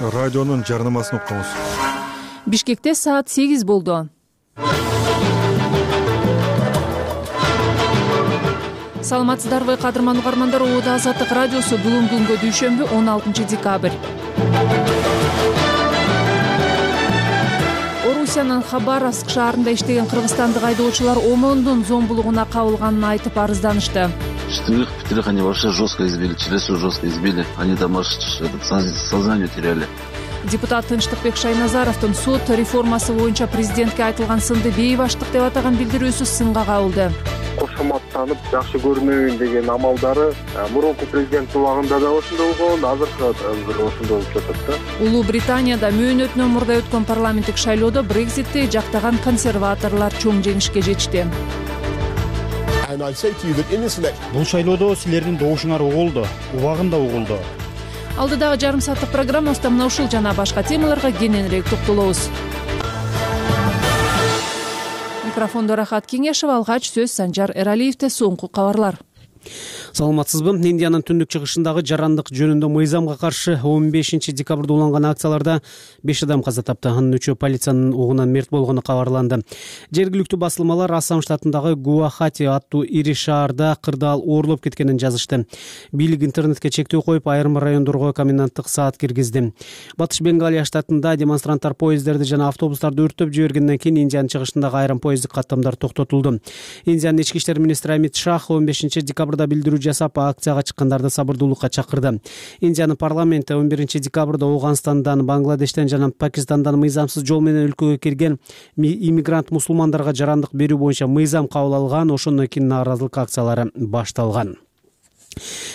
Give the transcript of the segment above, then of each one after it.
Радионун жарнамасын укканбыз. Бишкекте саат 8 болду. Саламатсыздарбы, кадырман угармандар. Оода Азаттык радиосу бүгүнкү күнгө дүйшөмбү 16 декабрь. Орусиянын Хабаровск шаарында иштеген кыргызстандык айдоочулар ОМОНдун зомбулугуна кабылганын айтып арызданышты. Четверых, пятерых они вообще жестко избили, Челесу жестко избили. Они там аж сознание теряли. Депутат Тынчтыкбек Шайназаровдун сот реформасы боюнча президентке айтылган сынды бейбаштык деп атаган билдирүүсү сынга кабылды. Кошоматтанып жакшы көрүнөйүн деген амалдары мурунку президент убагында да ошондой болгон, азыркы ошондой болуп жатат да. Улуу Британияда мөөнөтүнөн мурда өткөн парламенттик шайлоодо Брекситти жактаган консерваторлор чоң жеңишке жетишти. Бул шайлоодо силердин добушуңар угулду, убагында угулду. Алдыдагы жарым сааттык программабызда мына ушул жана башка темаларга кененирээк токтолобуз. Микрофондо Рахат Кеңешева, алгач сөз Санжар Эралиевде. Соңку кабарлар. Саламатсызбы? Индиянын түндүк чыгышындагы жарандык жөнүндө мыйзамга каршы 15 декабрда уланган акцияларда 5 адам каза тапты. Анын 3-өө полициянын угунан мерт болгону кабарланды. Жергиликтүү басылмалар Ассам штатындагы Гуахати аттуу ири шаарда кырдаал оорлоп кеткенин жазышты. Бийлик интернетке чектөө коюп, айрым райондорго коменданттык саат киргизди. Батыш Бенгалия штатында демонстранттар поездерди жана автобустарды өрттөп жибергенден кийин Индиянын чыгышындагы айрым поезддик каттамдар токтотулду. Индиянын ички иштер министри Амит Шах 15 декабрда билдирүү жасап, акцияга чыккандарды сабырдуулукка чакырды. Индиянын парламенти 11 декабрда Ооганстандан, Бангладештен жана Пакистандан мыйзамсыз жол менен өлкөгө кирген иммигрант мусулмандарга жарандык берүү боюнча мыйзам кабыл алган. Ошондон кийин нааразылык акциялары башталган.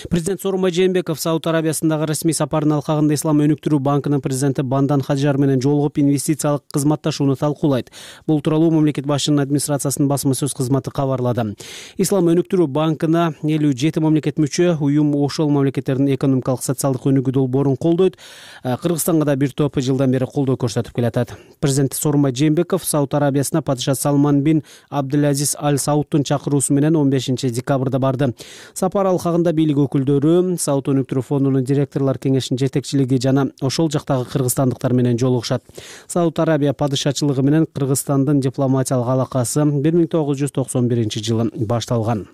Президент Сооронбай Жээнбеков Сауд Арабиясындагы расмий сапарынын алкагында Ислам өнүктүрүү банкынын президенти Бандан Хаджар менен жолугуп инвестициялык кызматташууну талкуулайт. Бул тууралуу мамлекет башчынын администрациясынын басма сөз кызматы кабарлады. Ислам өнүктүрүү банкына 57 мамлекет мүчө, уюм ошол мамлекеттердин экономикалык социалдык өнүгүү долбоорун колдойт. Кыргызстанга да бир топ жылдан бери колдоо көрсөтүп келатат. Президент Сооронбай Жээнбеков Сауд Арабиясына падыша Салман бин Абдулазиз Аль Саудтун чакыруусу менен 15 декабрда барды. Сапар алкагында бийлик өкүлдөрү, Сауд өнүктүрүү фондунун директорлор кеңешинин жетекчилиги жана ошол жактагы кыргызстандыктар менен жолугушат. Сауд Арабия падышачылыгы менен Кыргызстандын дипломатиялык алакасы 1991 жылы башталган.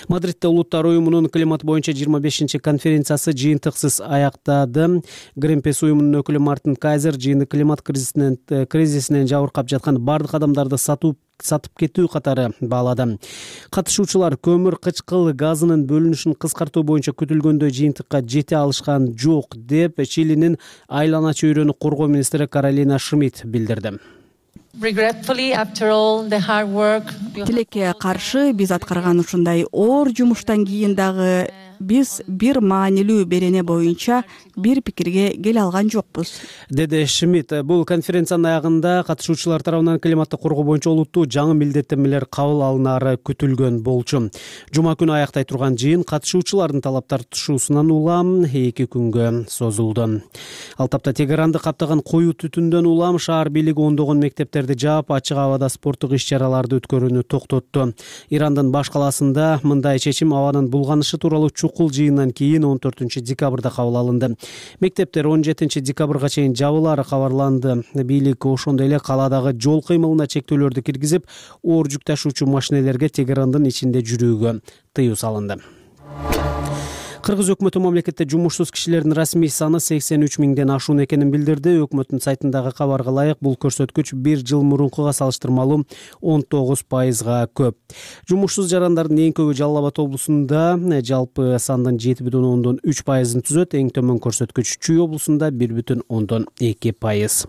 Мадридде Улуттар уюмунун климат боюнча 25 конференциясы жыйынтыксыз аяктады. Greenpeace уюмунун өкүлү Мартин Кайзер жыйынды климат кризисинен жабыркап жаткан бардык адамдарды сатып кетүү катары баалады. Катышуучулар көмүр кычкыл газынын бөлүнүшүн кыскартуу боюнча күтүлгөндөй жыйынтыкка жете алышкан жок деп Чилинин айлана чөйрөнү коргоо министри Каролина Шмидт билдирди. Тилекке каршы биз аткарган ушундай оор жумуштан кийин дагы биз бир маанилүү берене боюнча бир пикирге келе алган жокпуз, деди Шмидт. Бул конференциянын аягында катышуучулар тарабынан климатты коргоо боюнча олуттуу жаңы милдеттенмелер кабыл алынары күтүлгөн болчу. Жума күнү аяктай турган жыйын катышуучулардын талаптар тушуусунан улам 2 күнгө созулду. Ал тапта Тегеранды каптаган коюу түтүндөн улам шаар бийлиги ондогон мектептерди жаап, ачык абада спорттук иш-чараларды өткөрүүнү токтотту. Ирандын баш калаасында мындай чечим абанын булганышы тууралуу чукул жыйындан кийин 14 декабрда кабыл алынды. Мектептер 17 декабрга чейин жабылаары кабарланды. Бийлик ошондой эле калаадагы жол кыймылына чектөөлөрдү киргизип, оор жүк ташуучу машинелерге Тегерандын ичинде жүрүүгө тыюу салынды. Кыргыз өкмөтү мамлекетте жумушсуз кишилердин расмий саны 83 миңден ашуун экенин билдирди. Өкмөттүн сайтындагы кабарга ылайык, бул көрсөткүч бир жыл мурункуга салыштырмалуу 19%га көп. Жумушсуз жарандардын эң көбү Жалал Абад облусунда жалпы сандын 7,3%-ын түзөт. Эң төмөн көрсөткүч Чүй облусунда 1,2%.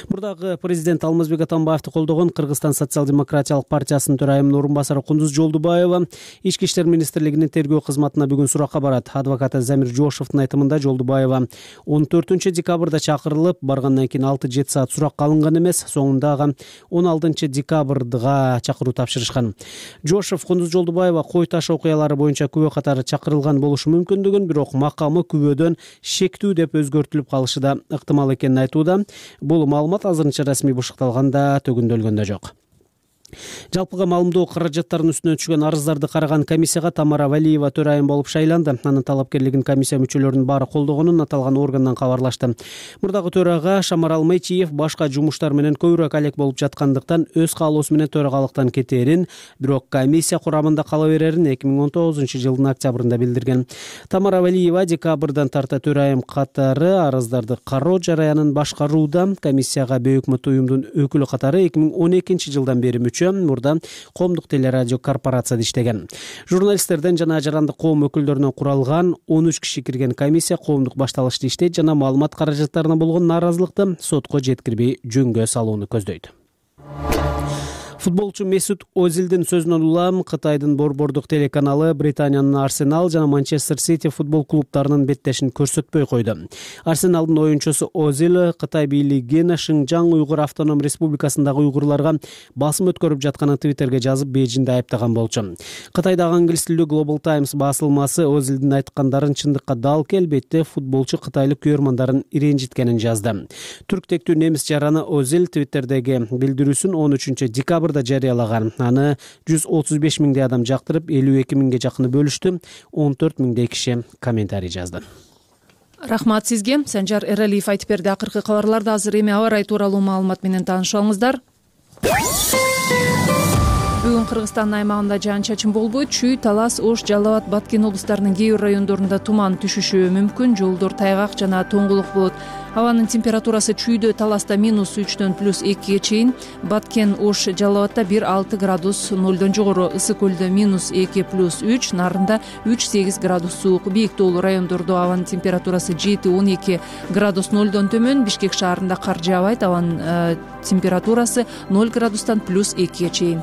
Мурдагы президент Алмазбек Атамбаевди колдогон Кыргызстан социал-демократиялык партиясынын төрайымынын орун басары Кундуз Жолдубаева Ички иштер министрлигинин тергөө кызматына бүгүн суракка барат. Адвокаты Замир Жошовдун айтымында Жолдубаева 14 декабрда чакырылып, баргандан кийин 6-7 саат суракка алынган эмес, соңундагы 16 декабрга чакыруу тапшырышкан. Жошов Кундуз Жолдубаева кой таш окуялары боюнча күбө катары чакырылган болушу мүмкүндүгүн, бирок макамы күбөдөн шектүү деп өзгөртүлүп калышы да ыктымал экенин айтууда. Бул маалымат азырынча расмий бышыкталганда төгүндөлгөн да жок. Жалпыга маалымдоо каражаттарынын үстүнөн түшкөн арыздарды караган комиссияга Тамара Валиева төрайым болуп шайланды. Анын талапкерлигин комиссия мүчөлөрүнүн баары колдогонун аталган органдан кабарлашты. Мурдагы төрага Шамарал Мечиев башка жумуштар менен көбүрөөк алек болуп жаткандыктан өз каалоосу менен төрагалыктан кетээрин, бирок комиссия курамында кала берерин 2019-жылдын октябрында билдирген. Тамара Валиева декабрдан тарта төрайым катары арыздарды кароо жараянын башкарууда. Комиссияга Бөйөкмөт уюмдун өкүлү катары 2012-жылдан бери мурда коомдук телерадио корпорацияда иштеген. Журналисттерден жана жарандык коом өкүлдөрүнөн куралган 13 киши кирген комиссия коомдук башталышты иштейт жана маалымат каражаттарына болгон нааразылыкты сотко жеткирбей жөнгө салууну көздөйт. Футболчу Месут Озилдин сөзүнөн улам Кытайдын борбордук телеканалы Британиянын Арсенал жана Манчестер Сити футбол клубтарынын беттешин көрсөтпөй койду. Арсеналдын оюнчусу Озил Кытай бийлигин Шинжаң уйгур автоном республикасындагы уйгурларга басым өткөрүп жатканын Твиттерге жазып, Бейжиңде айыптаган болчу. Кытайдагы англис тилдүү Global Times басылмасы Озилдин айткандарын чындыкка дал келбетте футболчу кытайлык көрөрмандарын иренжиткенин жазды. Түрк тектүү немис жараны Озил Твиттердеги билдирүүсүн 13 декабрда жарыялаган. Аны 135 миңдей адам жактырып, 52 миңге жакыны бөлүштү. 14 миңдей киши комментарий жазды. Рахмат сизге. Санжар Эралиев айтып берди. Акыркы кабарларда азыр эми аба ырайы тууралуу маалымат менен таанышып алыңыздар. Бүгүн Кыргызстандын аймагында жаан-чачын болбойт. Чүй, Талас, Ош, Жалал Абад, Баткен облустарынын кээ бир райондорунда туман түшүшү мүмкүн. Жолдор тайгак жана тоңгулук болот. Абанын температурасы Чүйдө, Таласта -3дөн +2ге чейин, Баткен, Ош, Жалал Абадта 1-6 градус 0дон жогору, Ысык көлдө -2 +3, Нарында 3-8 градус суук. Бийик тоолуу райондордо абанын температурасы 7-12 градус 0дон төмөн. Бишкек шаарында кар жаабайт. Абанын температурасы 0 градустан +2ге чейин.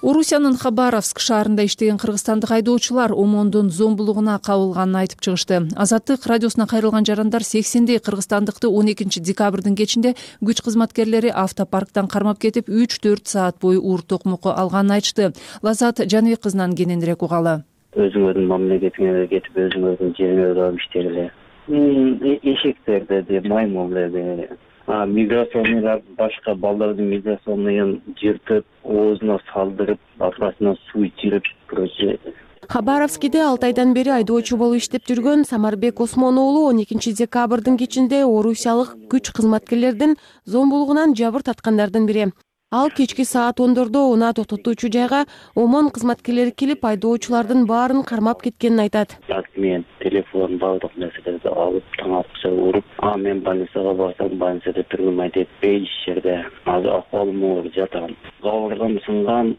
Орусиянын Хабаровск шаарында иштеген кыргызстандык айдоочулар ОМОНдун зомбулугуна кабылганын айтып чыгышты. Азаттык радиосуна кайрылган жарандар 80дей кыргызстандыкты 12 декабрдын кечинде күч кызматкерлери автопарктан кармап кетип 3-4 саат бою уур токмокко алганын айтышты. Лазат Жаныбек кызынан кененирээк угалы. Өзүңөрдүн мамлекетиңерге кетип, өзүңөрдүн жериңерде алып иштегиле. Эшектерди, маймылдарды, миграционныйлар башка балдардын миграционныйын жыртып, оозуна салдырып, аркасынан суу ичирип, короче. Хабаровскиде 6 айдан бери айдоочу болуп иштеп жүргөн Самарбек Осмон уулу 12 декабрдын кечинде орусиялык күч кызматкерлердин зомбулугунан жабыр таткандардын бири. Ал кечки саат 10дордо унаа токтотуучу жайга ОМОН кызматкерлери келип айдоочулардын баарын кармап кеткенин айтат. Мен телефон, баардык нерселерди алып, таң аткыча уруп, мен больницага барсам, больницада тургум айтып, иш жерде азыр акыбалым оор жатам. Кабыргам сынган,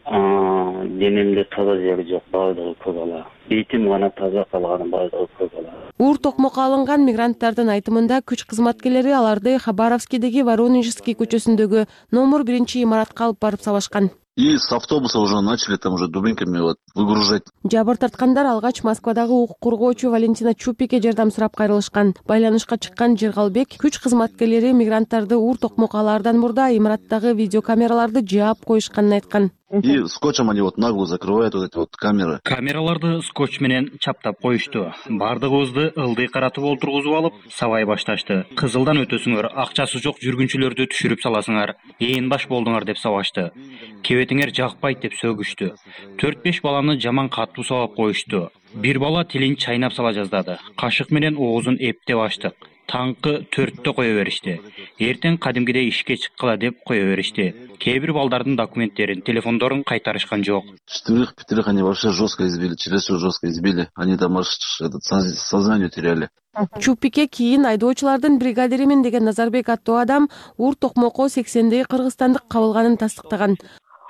денемде таза жери жок, баардыгы көк ала. Бетим гана таза калган, баардыгы көк ала. Уур токмокко алынган мигранттардын айтымында күч кызматкерлери аларды Хабаровскидеги Воронежский көчөсүндөгү номер 1 имаратка алып барып сабашкан. И с автобуса уже начали там уже дубинками выгружать. Жабыр тарткандар алгач Москвадагы укук коргоочу Валентина Чупике жардам сурап кайрылышкан. Байланышка чыккан Жергалбек күч кызматкерлери мигранттарды уур токмокко алаардан мурда имараттагы видеокамераларды жаап коюшканын айткан. И скотчем они нагло закрывают эти камеры. Камераларды скотч менен чаптап коюшту. Бардыгыбызды ылдый каратып олтургузуп алып, сабай башташты. Кызылдан өтөсүңөр, акчасы жок жүргүнчүлөрдү түшүрүп саласыңар. Ээн баш болдуңар деп сабашты. Кебетиңер жакпайт деп сөгүштү. 4-5 баланы жаман катуу сабап коюшту. Бир бала тилин чайнап сала жаздады. Кашык менен оозун эптеп ачтык. Таңкы 4тө кое беришти. Эртең кадимгидей ишке чыккыла деп кое беришти. Кээ бир балдардын документтерин, телефондорун кайтарышкан жок. 4-5 они вообще жестко избили, чересчур жестко избили. Они там аж сознание теряли. Чупике кийин айдоочулардын бригадиримен деген Назарбек аттуу адам уур токмокко 80дей кыргызстандык кабылганын тастыктаган.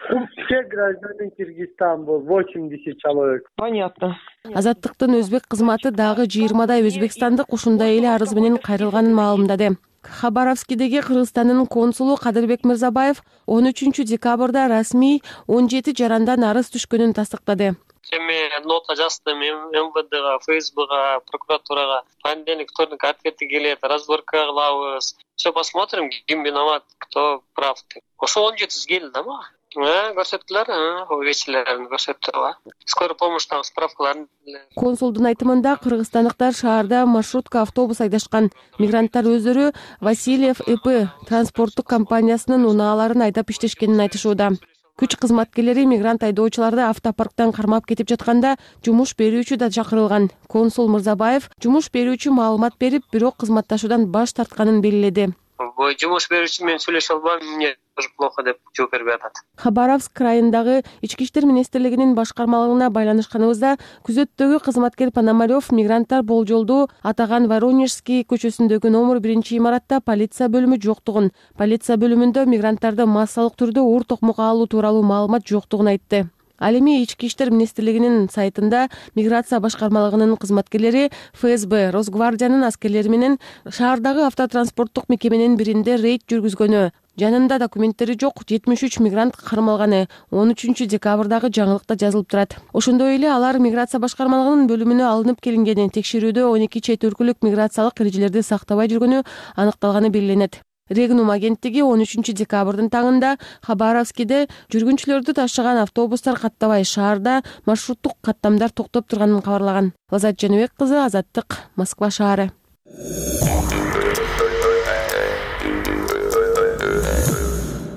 Все граждане Кыргызстана был 80 человек. Понятно. Азаттыктын өзбек кызматы дагы 20дай өзбекстандык ушундай эле арыз менен кайрылганын маалымдады. Хабаровскидеги Кыргызстандын консулу Кадырбек Мырзабаев 13 декабрда расмий 17 жарандан арыз түшкөнүн тастыктады. Эми нота жаздым МВДга, ФСБга, прокуратурага. Понедельник, вторник ответи келет, разборка кылабыз. Все посмотрим, ким виноват, кто прав. Ошо 17 келди да мага. Көрсөттүлөр, увечьелерин көрсөттүр. Скорый помощьтагы справкаларын. Консулдун айтымында кыргызстандыктар шаарда маршрутка автобус айдашкан. Мигранттар өздөрү Васильев ИП транспорттук компаниясынын унааларын айдап иштешкенин айтышууда. Күч кызматкерлери мигрант айдоочуларды автопарктан кармап кетип жатканда жумуш берүүчү да чакырылган. Консул Мырзабаев жумуш берүүчү маалымат берип, бирок кызматташуудан баш тартканын белгиледи. Жумуш берүүчү менен сүйлөшө албайм, мне тоже плохо деп жооп бербей атат. Хабаровск районундагы Ички иштер министрлигинин башкармалыгына байланышканыбызда күзөттөгү кызматкер Пономарев мигранттар болжолдуу атаган Воронежский көчөсүндөгү номер 1 имаратта полиция бөлүмү жоктугун, полиция бөлүмүндө мигранттарды массалык түрдө оор токмокко алуу тууралуу маалымат жоктугун айтты. Ал эми Ички иштер министрлигинин сайтында миграция башкармалыгынын кызматкерлери ФСБ, Росгвардиянын аскерлери менен шаардагы автотранспорттук мекеменин биринде рейд жүргүзгөнү, жанында документтери жок 73 мигрант кармалганы 13 декабрдагы жаңылыкта жазылып турат. Ошондой эле алар миграция башкармалыгынын бөлүмүнө алынып келингени, текшерүүдө 12 чет өлкөлүк миграциялык эрежелерди сактабай жүргөнү аныкталганы белгиленет. Регнум агенттиги 13 декабрдын таңында Хабаровскиде жүргүнчүлөрдү ташыган автобустар каттабай шаарда маршруттук каттамдар токтоп турганын кабарлаган. Лазат Жаныбек кызы, Азаттык, Москва шаары.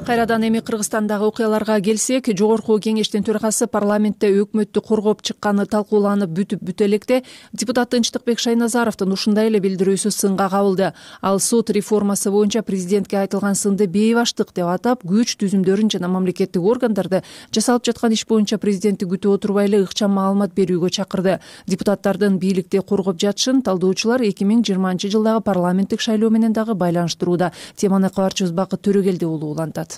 Кайрадан эми Кыргызстандагы окуяларга келсек, жогорку кеңештин төрагасы парламентте өкмөттү коргоп чыкканы талкууланып бүтүп электе депутат Тынчтыкбек Шайназаровдун ушундай эле билдирүүсү сынга кабылды. Ал сот реформасы боюнча президентке айтылган сынды бейбаштык деп атап, күч түзүмдөрүн жана мамлекеттик органдарды жасалып жаткан иш боюнча президентти күтүп отурбай эле ыкчам маалымат берүүгө чакырды. Депутаттардын бийликти коргоп жатышын талдоочулар 2020-жылдагы парламенттик шайлоо менен дагы байланыштырууда. Теманы кабарчыбыз Бакыт Төрөгелди уулу улантат.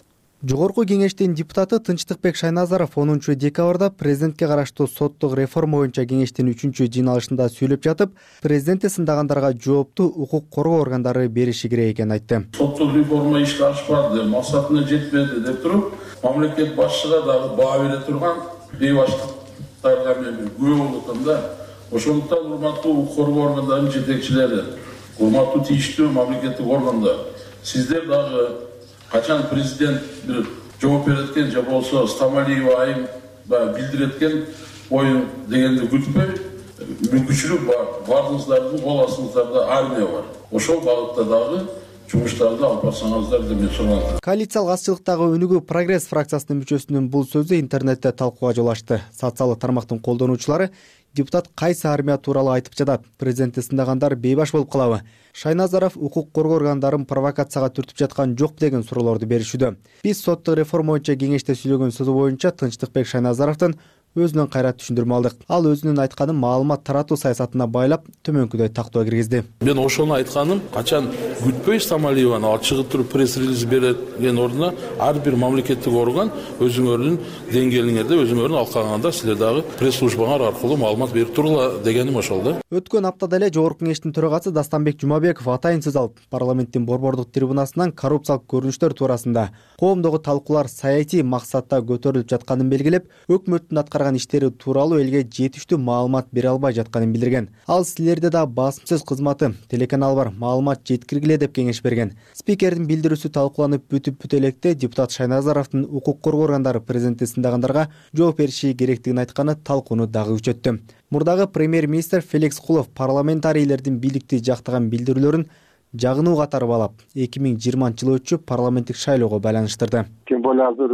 Жогорку кеңештин депутаты Тынчтыкбек Шайназаров 10 декабрда президентке караштуу соттук реформа боюнча кеңештин 3-жыйналышында сүйлөп жатып, президентти сындагандарга жоопту укук коргоо органдары бериши керек экенин айтты. Соттук реформа ишке ашпады, максатына жетпеди деп туруп, мамлекет башчыга дагы баа бере турган бейбаштыктарга мен күбө болуп атам да. Ошондуктан урматтуу укук коргоо органдарынын жетекчилери, урматтуу тийиштүү мамлекеттик органдар, сиздер дагы качан президент бир жооп береткен же болсо Стамалиева айым билдиреткен оюн дегенди күтпөй, мүмкүнчүлүк бардыңыздардын кол астыңыздарда армия бар. Ошол багытта дагы жумуштарды алып барсаңыздар деп мен сураган. Коалициялык азчылыктагы өнүгүү Прогресс фракциясынын мүчөсүнүн бул сөзү интернетте талкууга жол ачты. Социалдык тармактын колдонуучулары депутат кайсы армия тууралуу айтып жатат, президентти сындагандар бейбаш болуп калабы? Шайназаров укук коргоо органдарын провокацияга түртүп жаткан жокпу деген суроолорду беришүүдө. Биз соттук реформа боюнча кеңеште сүйлөгөн сөзү боюнча Тынчтыкбек Шайназаровдун өзүнөн кайрат түшүндүрмө алдык. Ал өзүнүн айтканын маалымат таратуу саясатына байлап, төмөнкүдөй тактоо киргизди. Мен ошону айтканым, качан күтпөй Стамалиеваны ал чыгып туруп пресс-релиз берген ордуна ар бир мамлекеттик орган өзүңөрдүн деңгээлиңерде, өзүңөрдүн алкагыңарда силер дагы пресс-службаңар аркылуу маалымат берип турула дегеним ошол да. Өткөн аптада эле жогорку кеңештин төрагасы Дастанбек Жумабеков атайын сөз алып, парламенттин борбордук трибунасынан коррупциялык көрүнүштөр туурасында коомдогу талкуулар саясий максатта көтөрүлүп жатканын белгилеп, өкмөттүн аткарган иштери тууралуу элге жетиштүү маалымат бере албай жатканын билдирген. Ал силерде да басым сөз кызматы, телеканал бар, маалымат жеткиргиле деп кеңеш берген. Спикердин билдирүүсү талкууланып бүтүп электе депутат Шайназаровдун укук коргоо органдары президентти сындагандарга жооп бериши керектигин айтканы талкууну дагы күчөттү. Мурдагы премьер-министр Феликс Кулов парламентарийлердин бийликти жактаган билдирүүлөрүн жагынуу катары баалап, 2020-жыл өтчү парламенттик шайлоого байланыштырды. Тем более азыр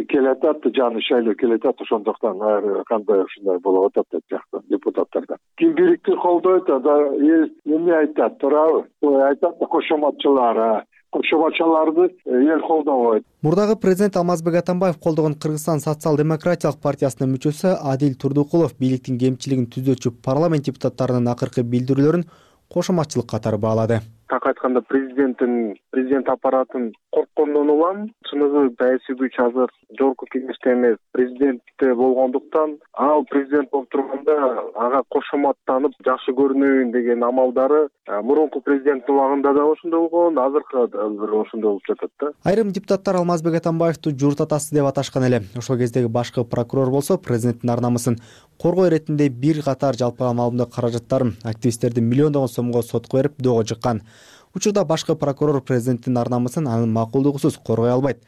келатат, жаңы шайлоо келатат, ошондуктан ар кандай ушундай болуп атат деп жакты депутаттардан. Ким бийликти колдойт, эмне айтат, туурабы? Айтат кошоматчыларды эл колдобойт. Мурдагы президент Алмазбек Атамбаев колдогон Кыргызстан социал-демократиялык партиясынын мүчөсү Адил Турдукулов бийликтин кемчилигин түзөчү парламент депутаттарынын акыркы билдирүүлөрүн кошоматчылык катары баалады. Так айтканда президент аппаратын корккондон улам, чыныгы саясий күч азыр жогорку кеңеште эмес, президентте болгондуктан, ал президент болуп турганда ага кошоматтанып жакшы көрүнөйүн деген амалдары мурунку президенттин убагында да ошондой болгон, азыркы ошондой болуп жатат да. Айрым депутаттар Алмазбек Атамбаевду журт атасы деп аташкан эле. Ошол кездеги башкы прокурор болсо президенттин ар намысын коргоо иретинде бир катар жалпыга маалымдоо каражаттарын активисттердин миллиондогон сомго сотко берип доого чыккан. Учурда башкы прокурор президенттин ар намысын анын макулдугусуз коргой албайт.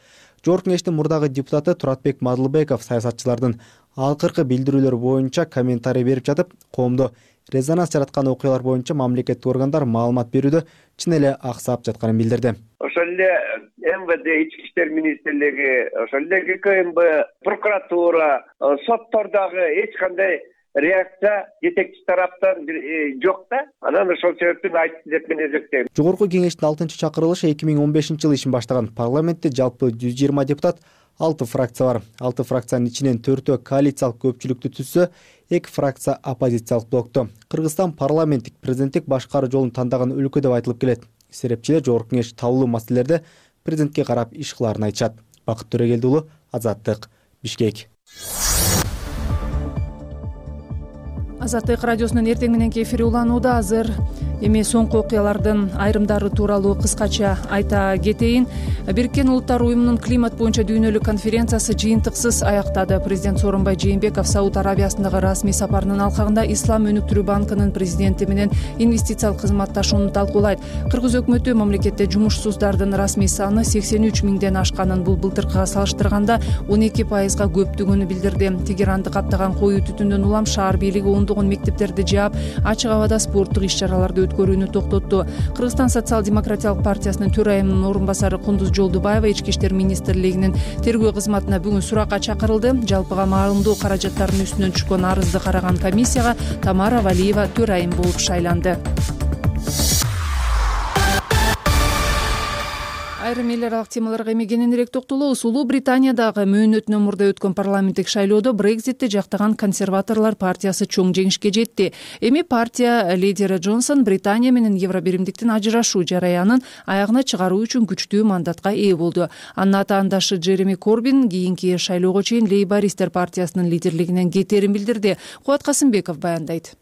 Жогорку Кеңештин мурдагы депутаты Туратбек Мадылбеков саясатчылардын акыркы билдирүүлөрү боюнча комментарий берип жатып, коомдо резонанс жараткан окуялар боюнча мамлекеттик органдар маалымат берүүдө чын эле аксап жатканын билдирди. Ошол эле МВД, Ички иштер министрлиги, ошол эле ГКМБ, прокуратура, соттордогу эч кандай реакция жетекчи тараптан жок да. Анан ошол себептен айтты деп мен эсептейм. Жогорку Кеңештин 6-чакырылышы 2015-жылы ишин баштаган. Парламентте жалпы 120 депутат, 6 фракция бар. 6 фракциянын ичинен 4-өө коалициялык көпчүлүктү түзсө, 2 фракция оппозициялык блокту. Кыргызстан парламенттик президенттик башкаруу жолун тандаган өлкө деп айтылып келет. Серепчилер Жогорку Кеңеш таулуу маселелерде президентке карап иш кылаарын айтышат. Бакыт Төрөгелди уулу, Азаттык, Бишкек. Азаттык радиосунун эртең мененки эфири уланууда. Азыр эми соңку окуялардын айрымдары тууралуу кыскача айта кетейин. Бириккен Улуттар уюмунун климат боюнча дүйнөлүк конференциясы жыйынтыксыз аяктады. Президент Сооронбай Жээнбеков Сауд Арабиясындагы расмий сапарынын алкагында Ислам өнүктүрүү банкынын президенти менен инвестициялык кызматташууну талкуулайт. Кыргыз өкмөтү мамлекетте жумушсуздардын расмий саны 83 миңден ашканын, бул былтыркыга салыштырганда 12%га көптүгүнү билдирди. Тегеранды каптаган коюу түтүндөн улам шаар бийлиги ондогон мектептерди жаап, ачык абада спорттук иш-чараларды өткөрүүнү токтотту. Кыргызстан социал-демократиялык партиясынын төрайымынын орун басары Кундуз Жолдубаева Ички иштер министрлигинин тергөө кызматына бүгүн суракка чакырылды. Жалпыга маалымдоо каражаттарынын үстүнөн түшкөн арызды караган комиссияга Тамара Валиева төрайым болуп шайланды. Айрым эл аралык темаларга эми кененирээк токтолобуз. Улуу Британиядагы мөөнөтүнөн мурда өткөн парламенттик шайлоодо Брекзитти жактаган консерваторлор партиясы чоң жеңишке жетти. Эми партия лидери Джонсон Британия менен Евробиримдиктин ажырашуу жараянын аягына чыгаруу үчүн күчтүү мандатка ээ болду. Анын атаандашы Джереми Корбин кийинки шайлоого чейин Лейбористтер партиясынын лидерлигинен кетерин билдирди. Кубат Касымбеков баяндайт.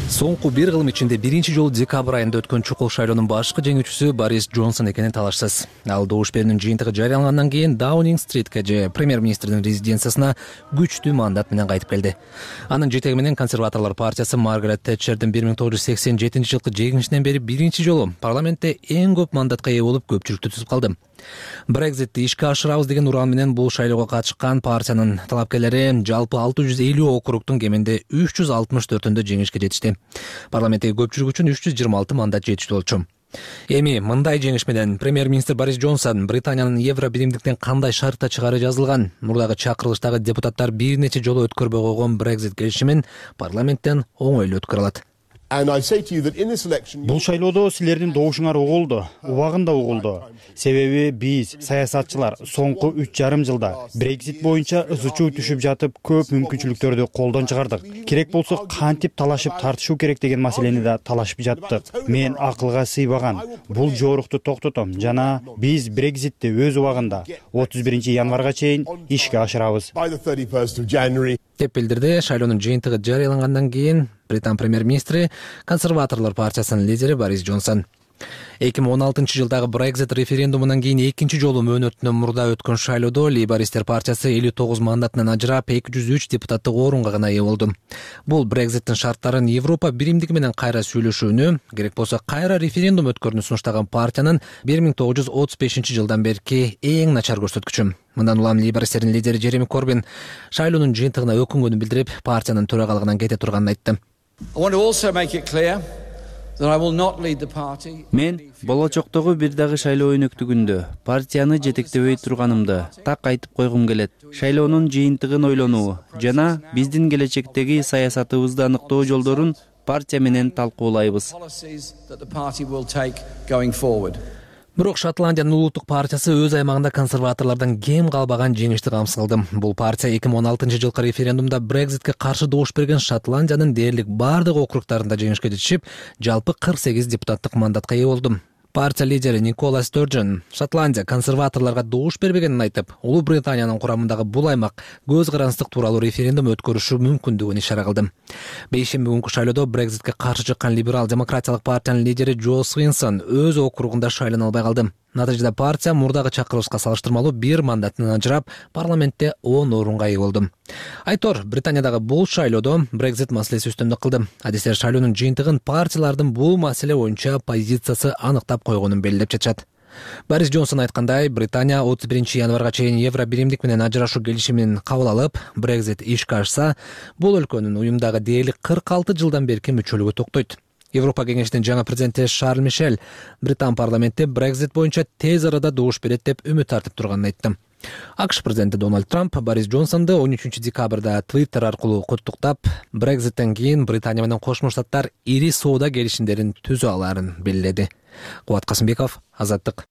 Соңку бир кылым ичинде биринчи жолу декабрь айында өткөн чукул шайлоонун башкы жеңүүчүсү Борис Джонсон экени талашсыз. Ал добуш берүүнүн жыйынтыгы жарыялангандан кийин Даунинг-стритке же премьер-министрдин резиденциясына күчтүү мандат менен кайтып келди. Анын жетеги менен консерваторлор партиясы Маргарет Тэтчердин 1987-жылкы жеңишинен бери биринчи жолу парламентте эң көп мандатка ээ болуп көпчүлүктү түзүп калды. Брекзитти ишке ашырабыз деген уран менен бул шайлоого катышкан партиянын талапкерлери жалпы 650 округдун кеминде 364-өндө жеңишке жетишти. Парламенттеги көпчүлүк үчүн 326 мандат жетиштүү болчу. Эми мындай жеңиш менен премьер-министр Борис Джонсон Британиянын Евробиримдиктен кандай шартта чыгаары жазылган, мурдагы чакырылыштагы депутаттар бир нече жолу өткөрбөй койгон Брекзит келишимин парламенттен оңойлуу өткөрө алат. Бул шайлоодо силердин добушуңар угулду, убагында угулду. Себеби биз саясатчылар соңку 3,5 жылда Брекзит боюнча ызы-чуу түшүп жатып көп мүмкүнчүлүктөрдү колдон чыгардык. Керек болсо кантип талашып тартышуу керек деген маселени да талашып жаттык. Мен акылга сыйбаган бул жоорукту токтотом жана биз Брекзитти өз убагында 31-январга чейин ишке ашырабыз деп билдирди. Шайлоонун жыйынтыгы жарыялангандан кийин Британ премьер-министри консерваторлор партиясынын лидери Борис Джонсон 2016-жылдагы Брекзит референдумунан кийин экинчи жолу мөөнөтүнөн мурда өткөн шайлоодо Лейбористер партиясы 59 мандатынан ажырап 203 депутаттык орунга гана ээ болду. Бул Брекзиттин шарттарын Европа биримдиги менен кайра сүйлөшүүнү, керек болсо кайра референдум өткөрүүнү сунуштаган партиянын 1935-жылдан берки эң начар көрсөткүчү. Мындан улам Лейбористердин лидери Джереми Корбин шайлоонун жыйынтыгына өкүнгөнүн билдирип, партиянын төрагалыгынан кете турганын айтты. Мен болочоктогу бир дагы шайлоо өнөктүгүндө партияны жетектебей турганымды так айтып койгум келет. Шайлоонун жыйынтыгын ойлонуу жана биздин келечектеги саясатыбызды аныктоо жолдорун партия менен талкуулайбыз. Бирок Шотландиянын улуттук партиясы өз аймагында консерваторлордон кем калбаган жеңишти камсыз кылды. Бул партия 2016-жылкы референдумда Брекзитке каршы добуш берген Шотландиянын дээрлик бардык округдарында жеңишке жетишип, жалпы 48 депутаттык мандатка ээ болду. Партия лидери Никола Стерджен Шотландия консерваторлорго добуш бербегенин айтып, Улуу Британиянын курамындагы бул аймак көз карандык тууралуу референдум өткөрүшү мүмкүндүгүн ишара кылды. Бейшемби күнкү шайлоодо Брекзитке каршы чыккан либерал-демократиялык партиянын лидери Джо Свинсон өз округунда шайлана албай калды. Натыйжада партия мурдагы чакырылышка салыштырмалуу бир мандатынан ажырап, парламентте 10 орунга ээ болду. Айтор Британиядагы бул шайлоодо Брекзит маселеси үстөмдүк кылды. Адистер шайлоонун жыйынтыгын партиялардын бул маселе боюнча позициясы аныктап койгонун белгилеп жатышат. Борис Джонсон айткандай, Британия 31 январга чейин Евро биримдик менен ажырашуу келишимин кабыл алып, Brexit ишке ашса, бул өлкөнүн уюмдагы дээрлик 46 жылдан берки мүчөлүгү токтойт. Европа кеңешинин жаңы президенти Шарль Мишель Британ парламентте Brexit боюнча тез арада добуш берет деп үмүт артып турганын айтты. АКШ президенти Дональд Трамп Борис Джонсонду 13 декабрда Twitter аркылуу куттуктап, Brexit'тен кийин Британия менен Кошмо Штаттар ири соода келишимдерин түзө алаарын белгиледи. Кубат Касымбеков, Азаттык.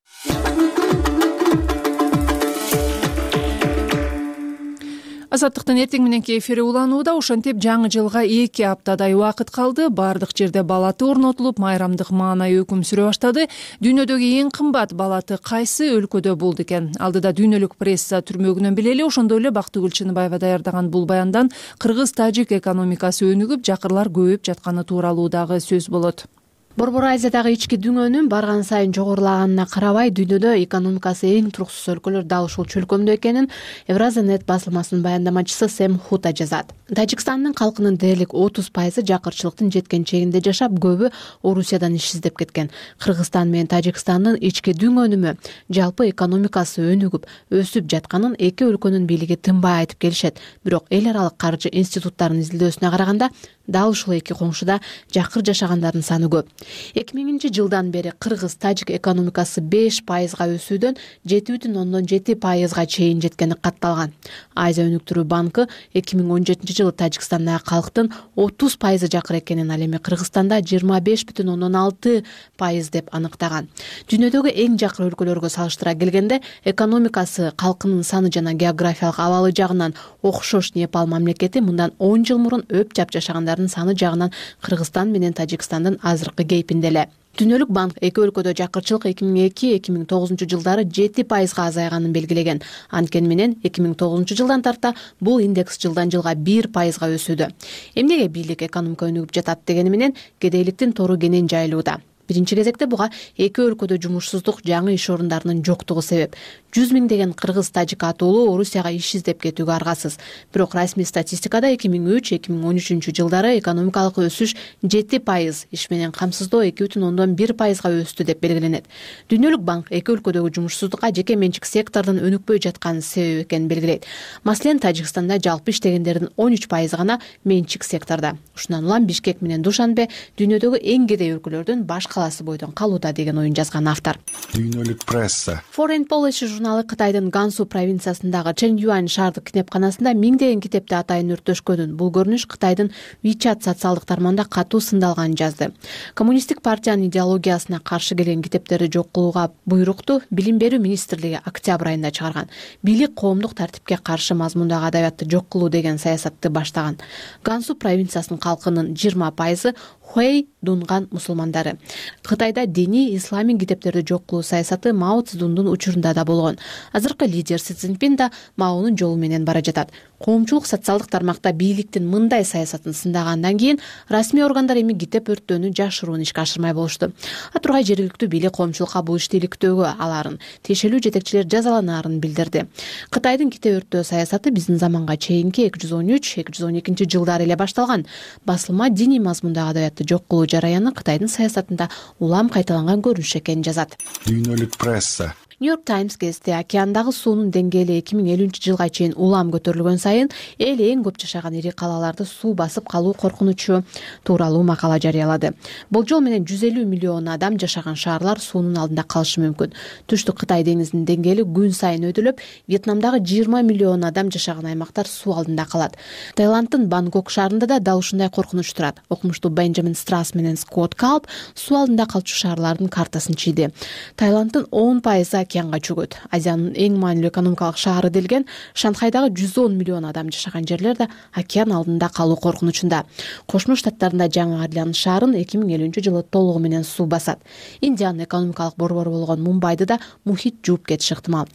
Азаттыктын эртең мененки эфири уланууда. Ошентип жаңы жылга 2 аптадай убакыт калды. Бардык жерде балаты орнотулуп, майрамдык маанай өкүм сүрө баштады. Дүйнөдөгү эң кымбат балаты кайсы өлкөдө болду экен? Алдыда дүйнөлүк пресса түрмөгүнөн билели. Ошондой эле Бактыгүл Чыныбаева даярдаган бул баяндан кыргыз-тажик экономикасы өнүгүп, жакырлар көбөйүп жатканы тууралуу дагы сөз болот. Борбор Азиядагы ички дүңөнүн барган сайын жогорулаганына карабай, дүйнөдө экономикасы эң туруксуз өлкөлөр дал ушул чөлкөмдө экенин Евразия.нет басылмасынын баяндамачысы Сэм Хута жазат. Тажикстандын калкынын дээрлик 30% жакырчылыктын жеткен чегинде жашап, көбү Орусиядан иш издеп кеткен. Кыргызстан менен Тажикстандын ички дүңөнүмө жалпы экономикасы өнүгүп, өсүп жатканын эки өлкөнүн бийлиги тынбай айтып келишет. Бирок эл аралык каржы институттарынын изилдөөсүнө караганда, дал ушул эки коңшуда жакыр жашагандардын саны көп. 2000-жылдан бери кыргыз-тажик экономикасы 5%га өсүүдөн 7,7%га чейин жеткени катталган. Азия өнүктүрүү банкы 2017-жылы Тажикстандагы калктын 30% жакыр экенин, ал эми Кыргызстанда 25,6% деп аныктаган. Дүйнөдөгү эң жакыр өлкөлөргө салыштыра келгенде, экономикасы, калкынын саны жана географиялык абалы жагынан окшош Непал мамлекети мындан 10 жыл мурун өп-жап жашагандардын саны жагынан Кыргызстан менен Тажикстандын азыркы кейпинде эле. Дүйнөлүк банк эки өлкөдө жакырчылык 2002-2009 жылдары 7%га азайганын белгилеген. Анткени менен 2009 жылдан тарта бул индекс жылдан жылга 1%га өсүүдө. Эмнеге бийлик экономика өнүгүп жатат дегени менен кедейликтин тору кенен жайылууда. Биринчи кезекте буга эки өлкөдө жумушсуздук, жаңы иш орундарынын жоктугу себеп. 100 миңдеген кыргыз-тажик атуулуу Орусияга иш издеп кетүүгө аргасыз. Бирок расмий статистикада 2003-2013 жылдары экономикалык өсүш 7%, иш менен камсыздоо 2,1%га өстү деп белгиленет. Дүйнөлүк банк эки өлкөдөгү жумушсуздукка жеке менчик сектордун өнүкпөй жатканын себеп экенин белгилейт. Маселен, Тажикстанда жалпы иштегендердин 13% гана менчик сектордо. Ушундан улам Бишкек менен Душанбе дүйнөдөгү эң кедей өлкөлөрдүн баш калаасы бойдон калууда деген оюн жазган автор. Дүйнөлүк пресса. Foreign Policy журналы Кытайдын Гансу провинциясындагы Чэньюань шаардык китепканасында миңдеген китепти атайын өрттөшкөнүн, бул көрүнүш Кытайдын WeChat социалдык тармагында катуу сындалганын жазды. Коммунисттик партиянын идеологиясына каршы келген китептерди жок кылууга буйрукту Билим берүү министрлиги октябрь айында чыгарган. Бийлик коомдук тартипке каршы мазмундагы адабиятты жок кылуу деген саясатты баштаган. Гансу провинциясынын калкынын 20% Хуэй дунган мусулмандары. Кытайда диний исламий китептерди жок кылуу саясаты Мао Цзэдундун учурунда да болгон. Азыркы лидер Си Цзиньпин да Маонун жолу менен бара жатат. Коомчулук социалдык тармакта бийликтин мындай саясатын сындагандан кийин расмий органдар эми китеп өрттөөнү жашыруун ишке ашырмай болушту. Тургай жергиликтүү бийлик коомчулукка бул ишти иликтөөгө алаарын, тиешелүү жетекчилер жазаланаарын билдирди. Кытайдын китеп өрттөө саясаты биздин заманга чейинки 213-212 жылдары эле башталган. Басылма диний мазмундагы адабиятты жок кылуу жараяны Кытайдын саясатында улам кайталанган көрүнүш экенин жазат. Дүйнөлүк пресса. New York Times гезити океандагы суунун деңгээли 2050 жылга чейин улам көтөрүлгөн сайын эл эң көп жашаган ири калаларды суу басып калуу коркунучу тууралуу макала жарыялады. Болжол менен 150 миллион адам жашаган шаарлар суунун алдында калышы мүмкүн. Түштүк Кытай деңизинин деңгээли күн сайын өдүлүп, Вьетнамдагы 20 миллион адам жашаган аймактар суу алдында калат. Таиланддын Бангкок шаарында да дал ушундай коркунуч турат. Окумуштуу Бенджамин Страс менен Скотт Калп суу алдында калчу шаарлардын картасын чийди. Таиланддын 10% океанга чөгөт. Азиянын эң маанилүү экономикалык шаары делген Шанхайдагы 110 миллион адам жашаган жерлер да океан алдында калуу коркунучунда. Кошмо Штаттарында Жаңы Орлеан шаарын 2050 жылы толугу менен суу басат. Индиянын экономикалык борбору болгон Мумбайды да мухит жууп кетиши ыктымал.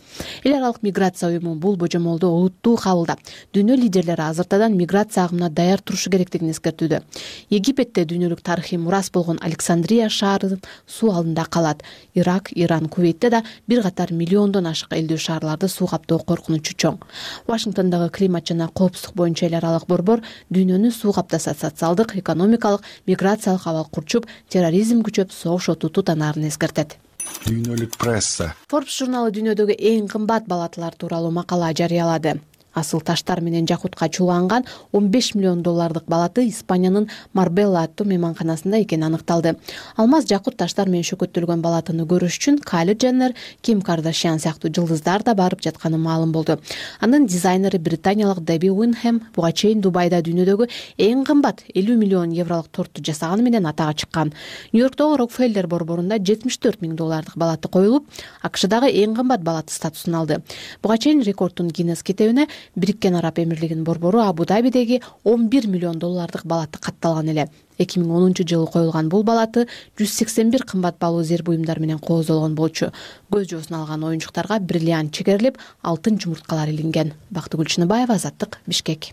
Эл аралык миграция уюму бул божомолду олуттуу кабылдап, дүйнө лидерлери азыртадан миграция агымына даяр турушу керектигин эскертүүдө. Египетте дүйнөлүк тарыхый мурас болгон Александрия шаары суу алдында калат. Ирак, Иран, Кувейтте да бир катар миллиондон ашык элдүү шаарларды суу каптоо коркунучу чоң. Вашингтондогу климат жана коопсуздук боюнча эл аралык борбор дүйнөнү суу каптаса социалдык, экономикалык, миграциялык абал курчуп, терроризм күчөп, согуш оту тутанаарын эскертет. Дүйнөлүк пресса. Forbes журналы дүйнөдөгү эң кымбат балатылар тууралуу макала жарыялады. Асыл таштар менен жакутка чууланган $15 миллион балаты Испаниянын Марбелла аттуу мейманканасында экени аныкталды. Алмаз жакут таштар менен шөкөттөлгөн балатыны көрүш үчүн Кайли Дженнер, Ким Кардашьян сыяктуу жылдыздар да барып жатканы маалым болду. Анын дизайнери британиялык Деби Уинхэм буга чейин Дубайда дүйнөдөгү эң кымбат €50 миллион торту жасаганы менен атага чыккан. Нью-Йорктогу Рокфеллер борборунда $74 миң балаты коюлуп, АКШдагы эң кымбат балаты статусун алды. Буга чейин рекордтун Гиннес китебине Бириккен Араб Эмирлигинин борбору Абу-Дабидеги $11 миллион балаты катталган эле. 2010-жылы коюлган бул балаты 181 кымбат баалуу зер буюмдар менен кооздолгон болчу. Көз жоосун алган оюнчуктарга бриллиант чегерилип, алтын жумурткалар илинген. Бактыгүл Чыныбаева, Азаттык, Бишкек.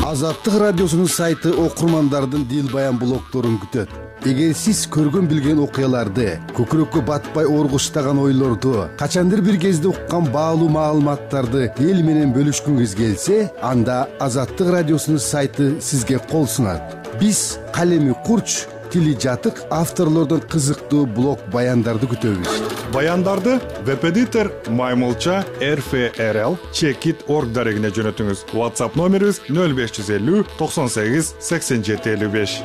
Азаттык радиосунун сайты окурмандардын дил баян блогдорун күтөт. Эгер сиз көргөн билген окуяларды, көкүрөккө батпай оргуштаган ойлорду, качандыр бир кезде уккан баалуу маалыматтарды эл менен бөлүшкүңүз келсе, анда Азаттык радиосунун сайты сизге кол сунат. Биз калеми курч, тили жатык авторлордун кызыктуу блог баяндарды күтөбүз. Баяндарды веб-эдитор Маймылча RFRL Checkit.org дарегине жөнөтүңүз. WhatsApp номерибиз 0550 98 87 55.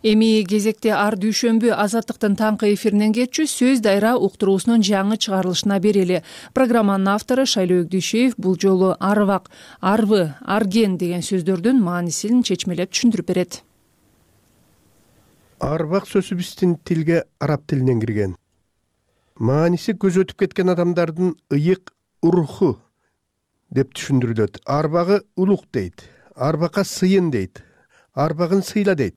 Эми кезекте ар дүйшөмбү Азаттыктын таңкы эфиринен кетчү сөз дайра уктуруусунун жаңы чыгарылышына берели. Программанын автору Шайлоо Өгдүшев бул жолу арвак, арвы, арген деген сөздөрдүн маанисин чечмелеп түшүндүрүп берет. Арвак сөзү биздин тилге араб тилинен кирген. Мааниси көз өтүп кеткен адамдардын ыйык руху деп түшүндүрүлөт. Арбагы улук дейт, арбакка сыйын дейт, арбагын сыйла дейт.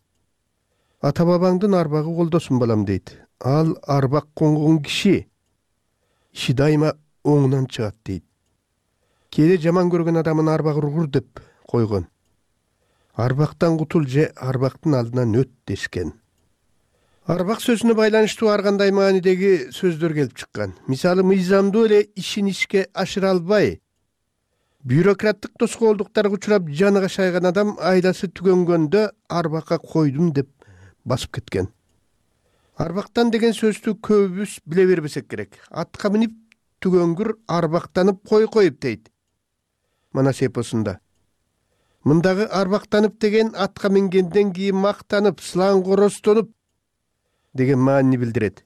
Ата бабаңдын арбагы колдосун балам дейт. Ал арбак конгон киши иши дайыма оңунан чыгат дейт. Кээде жаман көргөн адамын арбагы урур деп койгон. Арбактан кутул же арбактын алдынан өт дешкен. Арбак сөзүнө байланыштуу ар кандай маанидеги сөздөр келип чыккан. Мисалы, мыйзамдуу эле ишин ишке ашыра албай, бюрократтык тоскоолдуктарга учурап жаны кашайган адам айласы түгөнгөндө арбакка койдум деп басып кеткен. Арбактан деген сөздү көбүбүз биле бербесек керек. Атка минип түгөнгүр арбактанып коюп дейт. Манас эпосунда. Мындагы арбактанып деген атка мингенден кийин мактанып, сылаң-коростонуп деген маанини билдирет.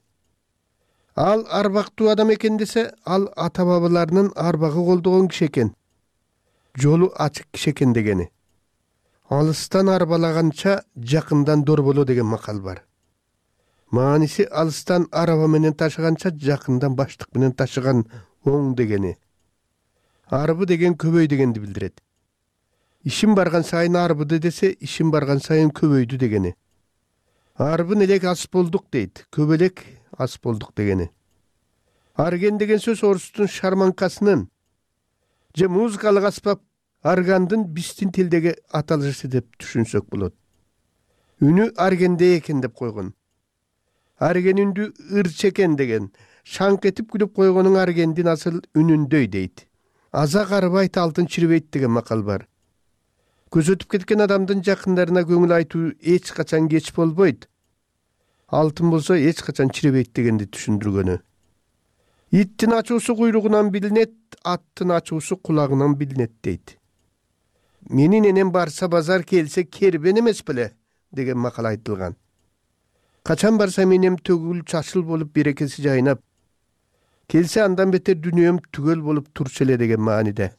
Ал арбактуу адам экен десе, ал ата бабаларынын арбагы колдогон киши экен. Жолу ачык киши экен дегени. Алыстан арбалаганча жакындан дор боло деген макал бар. Мааниси алыстан араба менен ташыганча жакындан баштык менен ташыган оң дегени. Арбы деген көбөй дегенди билдирет. Ишим барган сайын арбыды десе, ишим барган сайын көбөйдү дегени. Арбын элек ас болдук дейт, көбөлек ас болдук дегени. Арген деген сөз орустун шарманкасынын же музыкалык аспап аргандын биздин тилдеги аталышы деп түшүнсөк болот. Үнү аргенде экен деп койгон. Арген үндү ырчекен деген, шаңк этип күлүп койгонун аргендин асыл үнүндөй дейт. Аза карыбайт, алтын чирбейт деген макал бар. Көз өтүп кеткен адамдын жакындарына көңүл айтуу эч качан кеч болбойт. Алтын болсо эч качан чирбейт дегенди түшүндүргөнү. Иттин ачуусу куйругунан билинет, аттын ачуусу кулагынан билинет дейт. Менин энем барса базар, келсе кербен эмес беле деген макал айтылган. Качан барса менем төгүл чачыл болуп берекеси жайнап, келсе андан бетер дүнүйөм түгөл болуп турчу эле деген мааниде.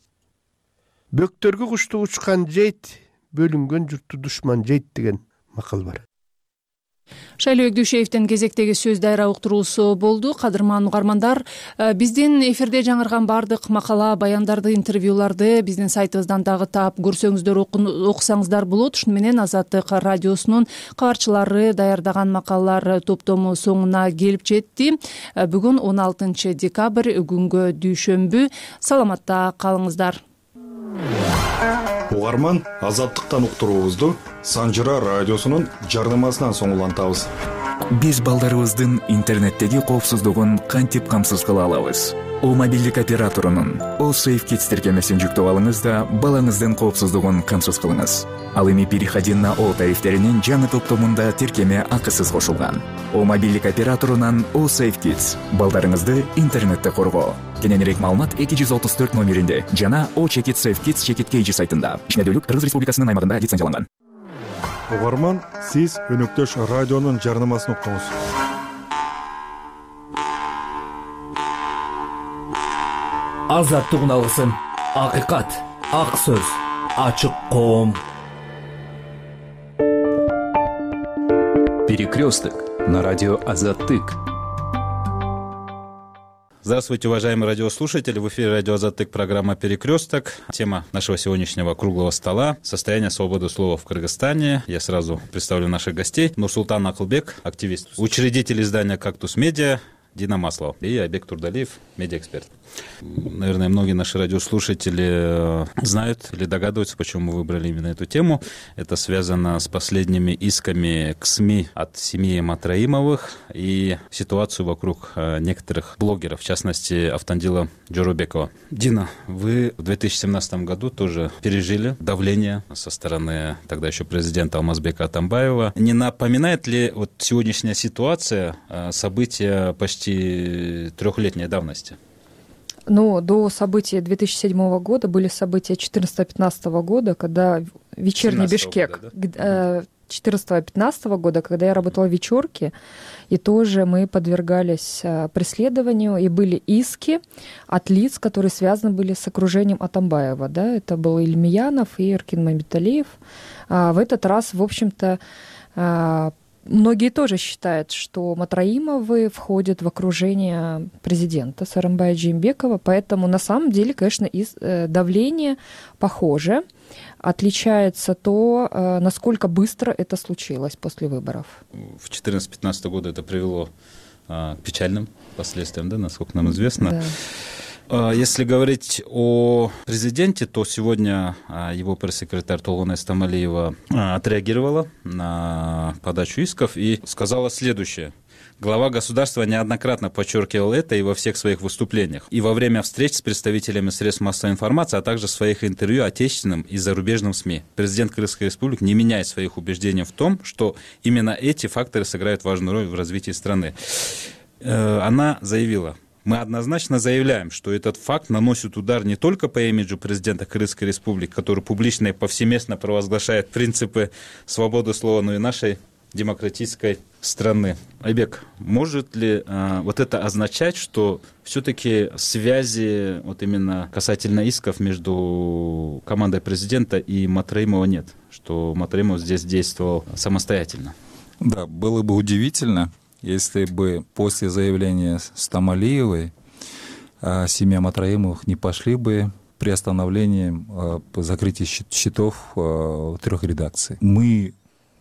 Бөктөргө кушту учкан жейт, бөлүнгөн журтту душман жейт деген макал бар. Шайлоо Өгдүшевдин кезектеги сөз дайра уктуруусу болду. Кадырман угармандар, биздин эфирде жаңырган бардык макала, баяндарды, интервьюларды биздин сайтыбыздан дагы таап көрсөңүздөр, окусаңыздар болот. Ушуну менен Азаттык радиосунун кабарчылары даярдаган макалалар топтому соңуна келип жетти. Бүгүн 16 декабрь, күнгө дүйшөмбү. Саламатта калыңыздар. Угарман Азаттыктан уктуруубузду Санжыра радиосунун жарнамасынан соң улантабыз. Биз балдарыбыздын интернеттеги коопсуздугун кантип камсыз кыла алабыз? О мобилдик операторунун О Safe Kids тиркемесин жүктөп алыңыз да балаңыздын коопсуздугун камсыз кылыңыз. Ал эми переходи на О тарифтеринин жаңы топтомунда тиркеме акысыз кошулган. О мобилдик операторунан О Safe Kids балдарыңызды интернетте коргоо. Кененирээк маалымат 234 номеринде жана О Чекит Safe Kids Чекит KG сайтында. Ишмердүүлүк Кыргыз Республикасынын аймагында лицензияланган. Угарман, сиз өнөктөш радионун жарнамасын уктуңуз. Азаттык алгысын, акыйкат, ак сөз, ачык коом. Перекресток на радио Азаттык. Здравствуйте, уважаемые радиослушатели. В эфире радио Азаттык, программа «Перекресток». Тема нашего сегодняшнего круглого стола – состояние свободы слова в Кыргызстане. Я сразу представлю наших гостей. Нурсултан Акылбек, активист, учредитель издания «Кактус Медиа», Дина Маслова и Айбек Турдалиев, медиаэксперт. Наверное, многие наши радиослушатели знают или догадываются, почему мы выбрали именно эту тему. Это связано с последними исками к СМИ от семьи Матраимовых и ситуацию вокруг некоторых блогеров, в частности, Автандила Джорубекова. Дина, вы в 2017 году тоже пережили давление со стороны тогда еще президента Алмазбека Атамбаева. Не напоминает ли вот сегодняшняя ситуация события почти трехлетней давности? Ну, до событий 2007 года были события 2014-2015 года, когда вечерний Бишкек. 2014-2015 года, когда я работала в вечерке, и тоже мы подвергались преследованию, и были иски от лиц, которые связаны были с окружением Атамбаева. Да? Это был Ильмиянов и Эркин Мамбеталиев. В этот раз, в общем-то, многие тоже считают, что Матраимовы входят в окружение президента Сооронбая Жээнбекова, поэтому на самом деле, конечно, давление похоже. Отличается то, насколько быстро это случилось после выборов. В 2014-2015 году это привело к печальным последствиям, да, насколько нам известно. Да. Если говорить о президенте, то сегодня его пресс-секретарь Толгон Эстамалиева отреагировала на подачу исков и сказала следующее. Глава государства неоднократно подчеркивал это и во всех своих выступлениях, и во время встреч с представителями средств массовой информации, а также в своих интервью отечественным и зарубежным СМИ. Президент Кыргызской республики не меняет своих убеждений в том, что именно эти факторы сыграют важную роль в развитии страны. Она заявила: мы однозначно заявляем, что этот факт наносит удар не только по имиджу президента Кыргызской республики, который публично и повсеместно провозглашает принципы свободы слова, но и нашей демократической страны. Айбек, может ли вот это означать, что все-таки связи вот именно касательно исков между командой президента и Матраимова нет? Что Матраимов здесь действовал самостоятельно? Да, было бы удивительно, если бы после заявления Стамалиевой семья Матраимовых не пошли бы приостановлением закрытия счетов 3 редакций. Мы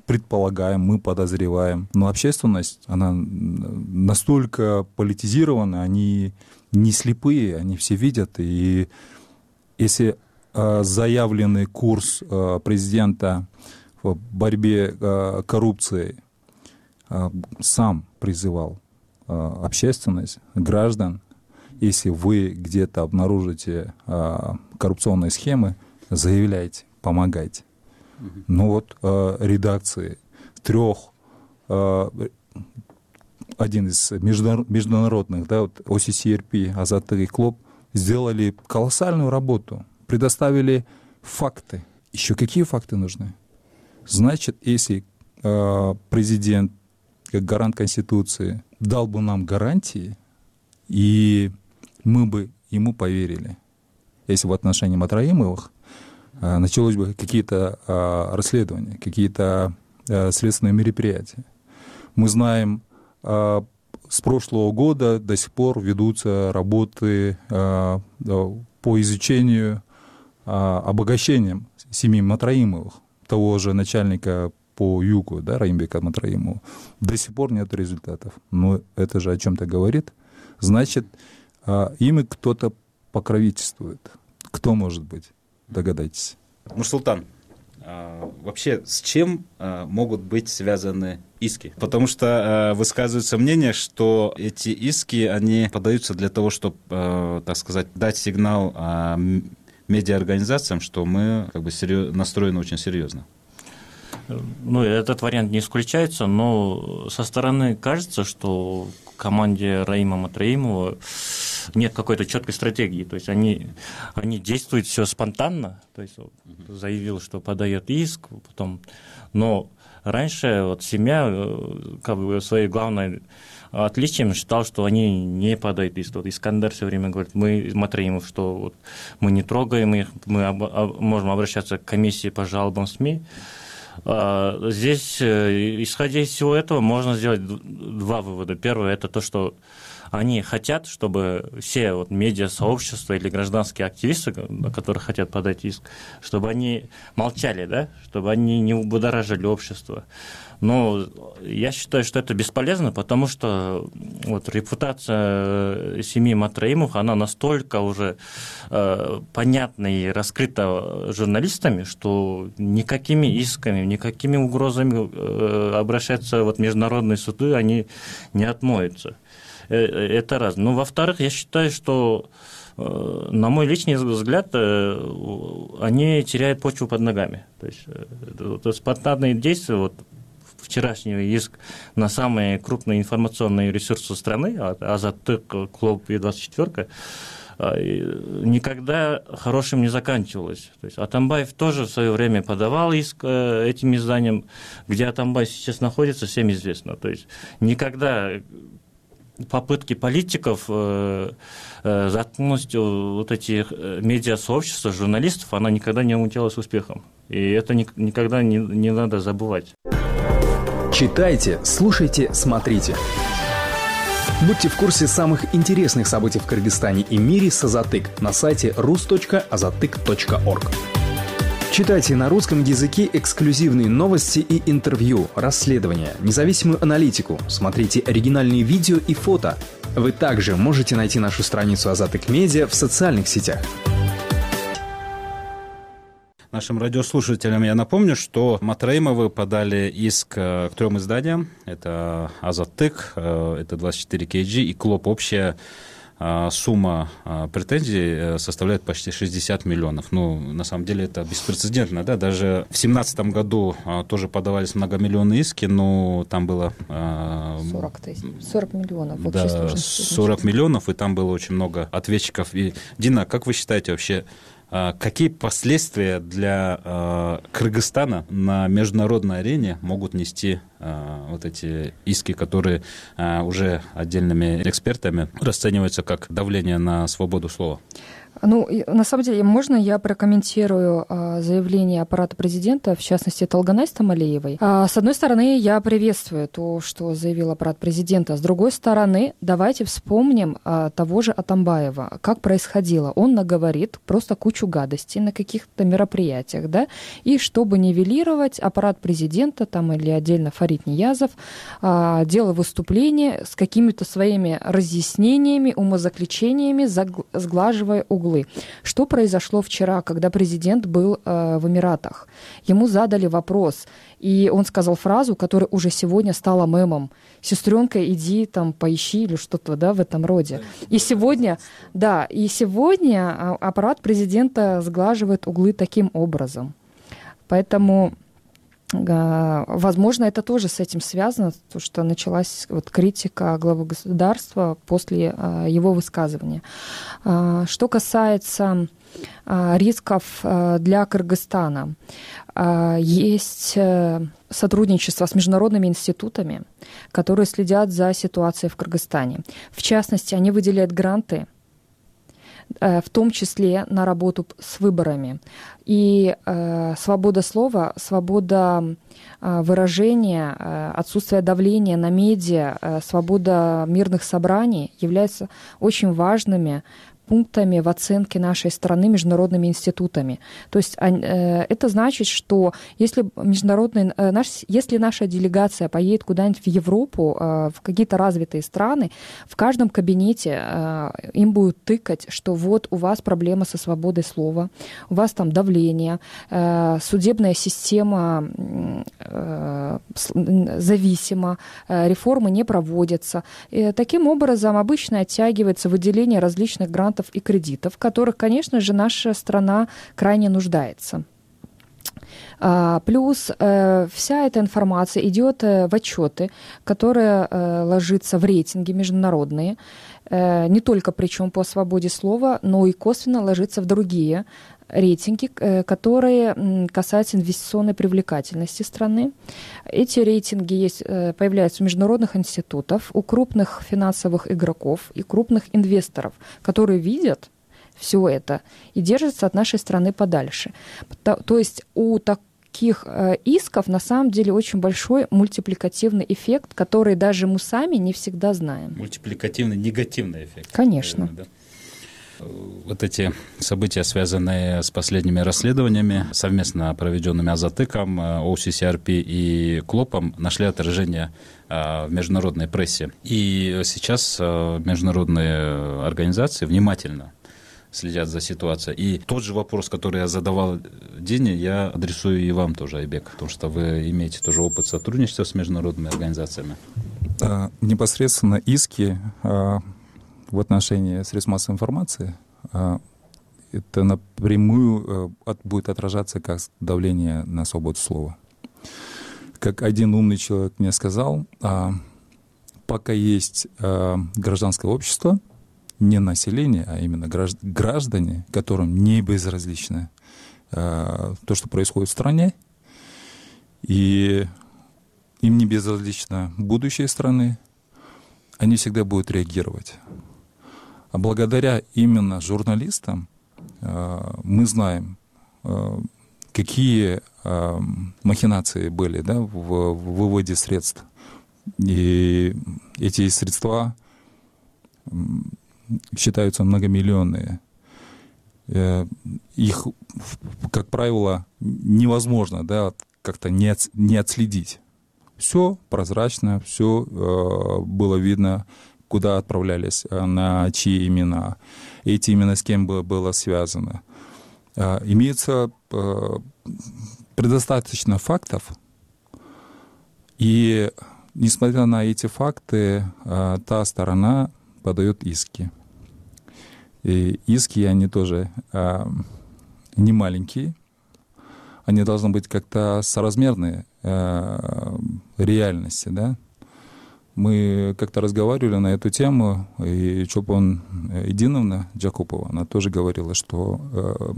предполагаем, мы подозреваем, но общественность, она настолько политизирована, они не слепые, они все видят, и если заявленный курс президента в борьбе с коррупцией сам призывал общественность, граждан, если вы где-то обнаружите коррупционные схемы, заявляйте, помогайте. Но вот редакции 3, один из международных, да, вот OCCRP, Азаттык и Клоп, сделали колоссальную работу, предоставили факты. Еще какие факты нужны? Значит, если президент, как гарант Конституции, дал бы нам гарантии, и мы бы ему поверили. Если в отношении Матраимовых началось бы какие-то расследования, какие-то следственные мероприятия. Мы знаем, с прошлого года до сих пор ведутся работы по изучению обогащения семьи Матраимовых, того же начальника по югу, да, Раимбека Матраимова. До сих пор нет результатов. Но это же о чем-то говорит. Значит, им кто-то покровительствует. Кто может быть? Догадайтесь. Нурсултан, вообще с чем могут быть связаны иски? Потому что высказывается мнение, что эти иски, они подаются для того, чтобы, так сказать, дать сигнал медиаорганизациям, что мы как бы настроены очень серьезно. Ну, этот вариант не исключается, но со стороны кажется, что в команде Раима Матраимова нет какой-то четкой стратегии. То есть они действуют все спонтанно. То есть заявил, что подает иск, потом. Но раньше вот семья как бы своей главной отличием считал, что они не подают иск. Вот Искандер все время говорит, мы Матраимов, что вот мы не трогаем их, мы можем обращаться к комиссии по жалобам СМИ. Здесь, исходя из всего этого, можно сделать два вывода. Первый – это то, что они хотят, чтобы все вот медиасообщества или гражданские активисты, которые хотят подать иск, чтобы они молчали, да? Чтобы они не убудоражили общество. Но я считаю, что это бесполезно, потому что вот репутация семьи Матраимовых, она настолько уже понятна и раскрыта журналистами, что никакими исками, никакими угрозами обращаться в международные суды они не отмоются. Это раз. Ну, во-вторых, я считаю, что, на мой личный взгляд, они теряют почву под ногами. То есть спонтанные действия, вот вчерашний иск на самые крупные информационные ресурсы страны, Азаттык, Клуб и 24, никогда хорошим не заканчивалось. То есть Атамбаев тоже в свое время подавал иск этим изданиям, где Атамбаев сейчас находится, всем известно. То есть никогда попытки политиков заткнуть вот эти медиасообщества, журналистов, она никогда не увенчалась успехом. И это никогда не надо забывать. Читайте, слушайте, смотрите. Будьте в курсе самых интересных событий в Кыргызстане и мире с Азаттык на сайте rus.azattyk.org. Читайте на русском языке эксклюзивные новости и интервью, расследования, независимую аналитику, смотрите оригинальные видео и фото. Вы также можете найти нашу страницу Азаттык Медиа в социальных сетях. Нашим радиослушателям я напомню, что Матраимовы подали иск к 3 изданиям. Это Азаттык, это 24 KG и Клуб. Общая сумма претензий составляет почти 60 миллионов. Ну, на самом деле, это беспрецедентно. Да? Даже в 2017 году тоже подавались многомиллионные иски, но там было 40 миллионов. Да, 40 миллионов, и там было очень много ответчиков. И, Дина, как вы считаете вообще, какие последствия для Кыргызстана на международной арене могут нести вот эти иски, которые уже отдельными экспертами расцениваются как давление на свободу слова? Ну, на самом деле, можно я прокомментирую заявление аппарата президента, в частности, Талганай Стамалиевой? С одной стороны, я приветствую то, что заявил аппарат президента. С другой стороны, давайте вспомним того же Атамбаева. Как происходило? Он наговорит просто кучу гадостей на каких-то мероприятиях, да? И чтобы нивелировать, аппарат президента там, или отдельно Фарид Ниязов делал выступление с какими-то своими разъяснениями, умозаключениями, сглаживая углы. Что произошло вчера, когда президент был в Эмиратах? Ему задали вопрос, и он сказал фразу, которая уже сегодня стала мемом. «Сестренка, иди там поищи» или что-то, да, в этом роде. И сегодня аппарат президента сглаживает углы таким образом. Поэтому, возможно, это тоже с этим связано, потому что началась вот критика главы государства после его высказывания. Что касается рисков для Кыргызстана, есть сотрудничество с международными институтами, которые следят за ситуацией в Кыргызстане. В частности, они выделяют гранты, в том числе на работу с выборами. И свобода слова, свобода выражения, отсутствие давления на медиа, свобода мирных собраний являются очень важными пунктами в оценке нашей страны международными институтами. То есть это значит, что если наша делегация поедет куда-нибудь в Европу, в какие-то развитые страны, в каждом кабинете им будут тыкать, что вот у вас проблема со свободой слова, у вас там давление, судебная система зависима, реформы не проводятся. И таким образом обычно оттягивается выделение различных грантов и кредитов, в которых, конечно же, наша страна крайне нуждается. Плюс вся эта информация идет в отчеты, которые ложатся в рейтинги международные, не только причем по свободе слова, но и косвенно ложится в другие рейтинги, которые касаются инвестиционной привлекательности страны. Эти рейтинги появляются у международных институтов, у крупных финансовых игроков и крупных инвесторов, которые видят все это и держатся от нашей страны подальше. То есть у таких исков на самом деле очень большой мультипликативный эффект, который даже мы сами не всегда знаем. Мультипликативный негативный эффект. Конечно. Наверное, да? Вот эти события, связанные с последними расследованиями, совместно проведенными Азатыком, OCCRP и КЛОПом, нашли отражение в международной прессе. И сейчас международные организации внимательно следят за ситуацией. И тот же вопрос, который я задавал Дине, я адресую и вам тоже, Айбек, потому что вы имеете тоже опыт сотрудничества с международными организациями. Непосредственно иски в отношении средств массовой информации, это напрямую будет отражаться как давление на свободу слова. Как один умный человек мне сказал, пока есть гражданское общество, не население, а именно граждане, которым не безразлично то, что происходит в стране, и им не безразлично будущее страны, они всегда будут реагировать. А благодаря именно журналистам мы знаем, какие махинации были, да, в выводе средств. И эти средства считаются многомиллионные. Их, как правило, невозможно, да, как-то не отследить. Все прозрачно, все было видно, куда отправлялись, на чьи имена, эти имена с кем было связано. Имеется предостаточно фактов, и несмотря на эти факты, та сторона подает иски. И иски, они тоже не маленькие, они должны быть как-то соразмерны реальности, да. Мы как-то разговаривали на эту тему, и Чолпон Эдиновна Джакупова, она тоже говорила, что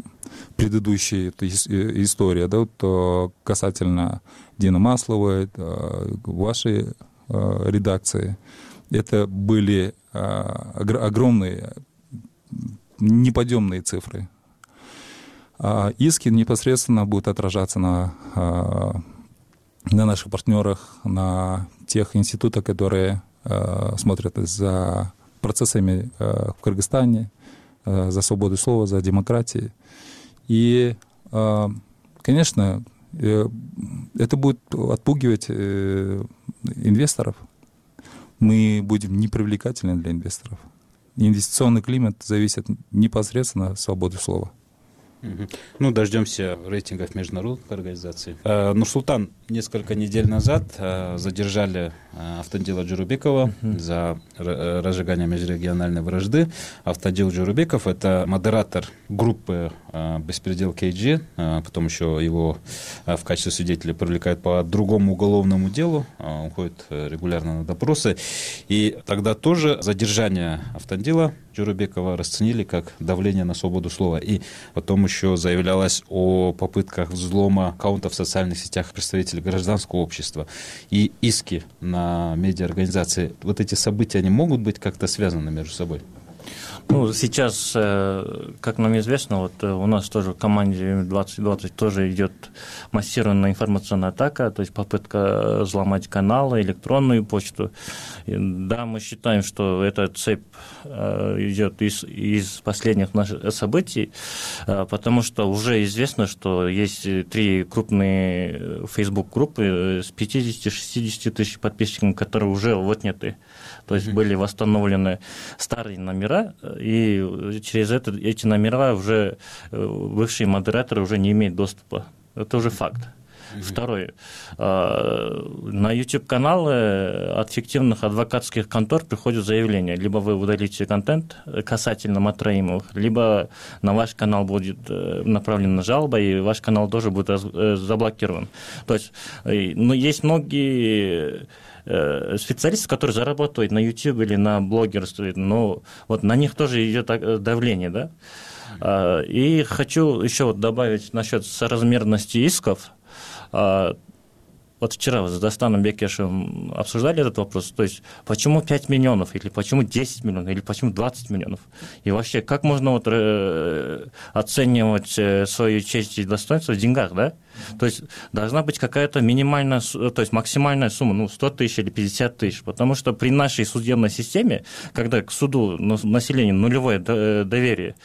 предыдущая история, да, вот, касательно Дины Масловой, вашей редакции, это были огромные, неподъемные цифры. Иски непосредственно будут отражаться на наших партнерах, на тех институтах, которые смотрят за процессами в Кыргызстане, за свободу слова, за демократию. И, конечно, это будет отпугивать инвесторов. Мы будем непривлекательны для инвесторов. Инвестиционный климат зависит непосредственно от свободы слова. Ну, дождемся рейтингов международных организаций. Нурсултан, несколько недель назад задержали Автандила Джурубекова за разжигание межрегиональной вражды. Автандил Джурубеков — это модератор группы «Беспредел КГ», потом еще его в качестве свидетеля привлекают по другому уголовному делу, он ходит регулярно на допросы. И тогда тоже задержание Автандила Джурубекова расценили как давление на свободу слова. И потом еще заявлялось о попытках взлома аккаунтов в социальных сетях представителей гражданского общества и иски на медиаорганизации. Вот эти события, они могут быть как-то связаны между собой? Ну, сейчас, как нам известно, вот у нас тоже в команде 2020 тоже идет массированная информационная атака, то есть попытка взломать каналы, электронную почту. И, да, мы считаем, что эта цепь идет из последних наших событий, потому что уже известно, что есть 3 крупные Facebook-группы с 50-60 тысяч подписчиками, которые уже отняты. То есть были восстановлены старые номера, и через эти номера уже бывшие модераторы уже не имеют доступа. Это уже факт. Второе. На YouTube-каналы от фиктивных адвокатских контор приходят заявления. Либо вы удалите контент касательно Матраимовых, либо на ваш канал будет направлена жалоба, и ваш канал тоже будет заблокирован. То есть, ну, есть многие специалисты, которые зарабатывают на YouTube или на блогерстве, но вот на них тоже идет давление, да. И хочу еще вот добавить насчет соразмерности исков. Вот вчера с Дастаном Бекешевым обсуждали этот вопрос, то есть почему 5 миллионов, или почему 10 миллионов, или почему 20 миллионов, и вообще как можно вот оценивать свою честь и достоинство в деньгах, да? То есть должна быть какая-то минимальная, то есть максимальная сумма, ну, 100 тысяч или 50 тысяч, потому что при нашей судебной системе, когда к суду население нулевое доверие,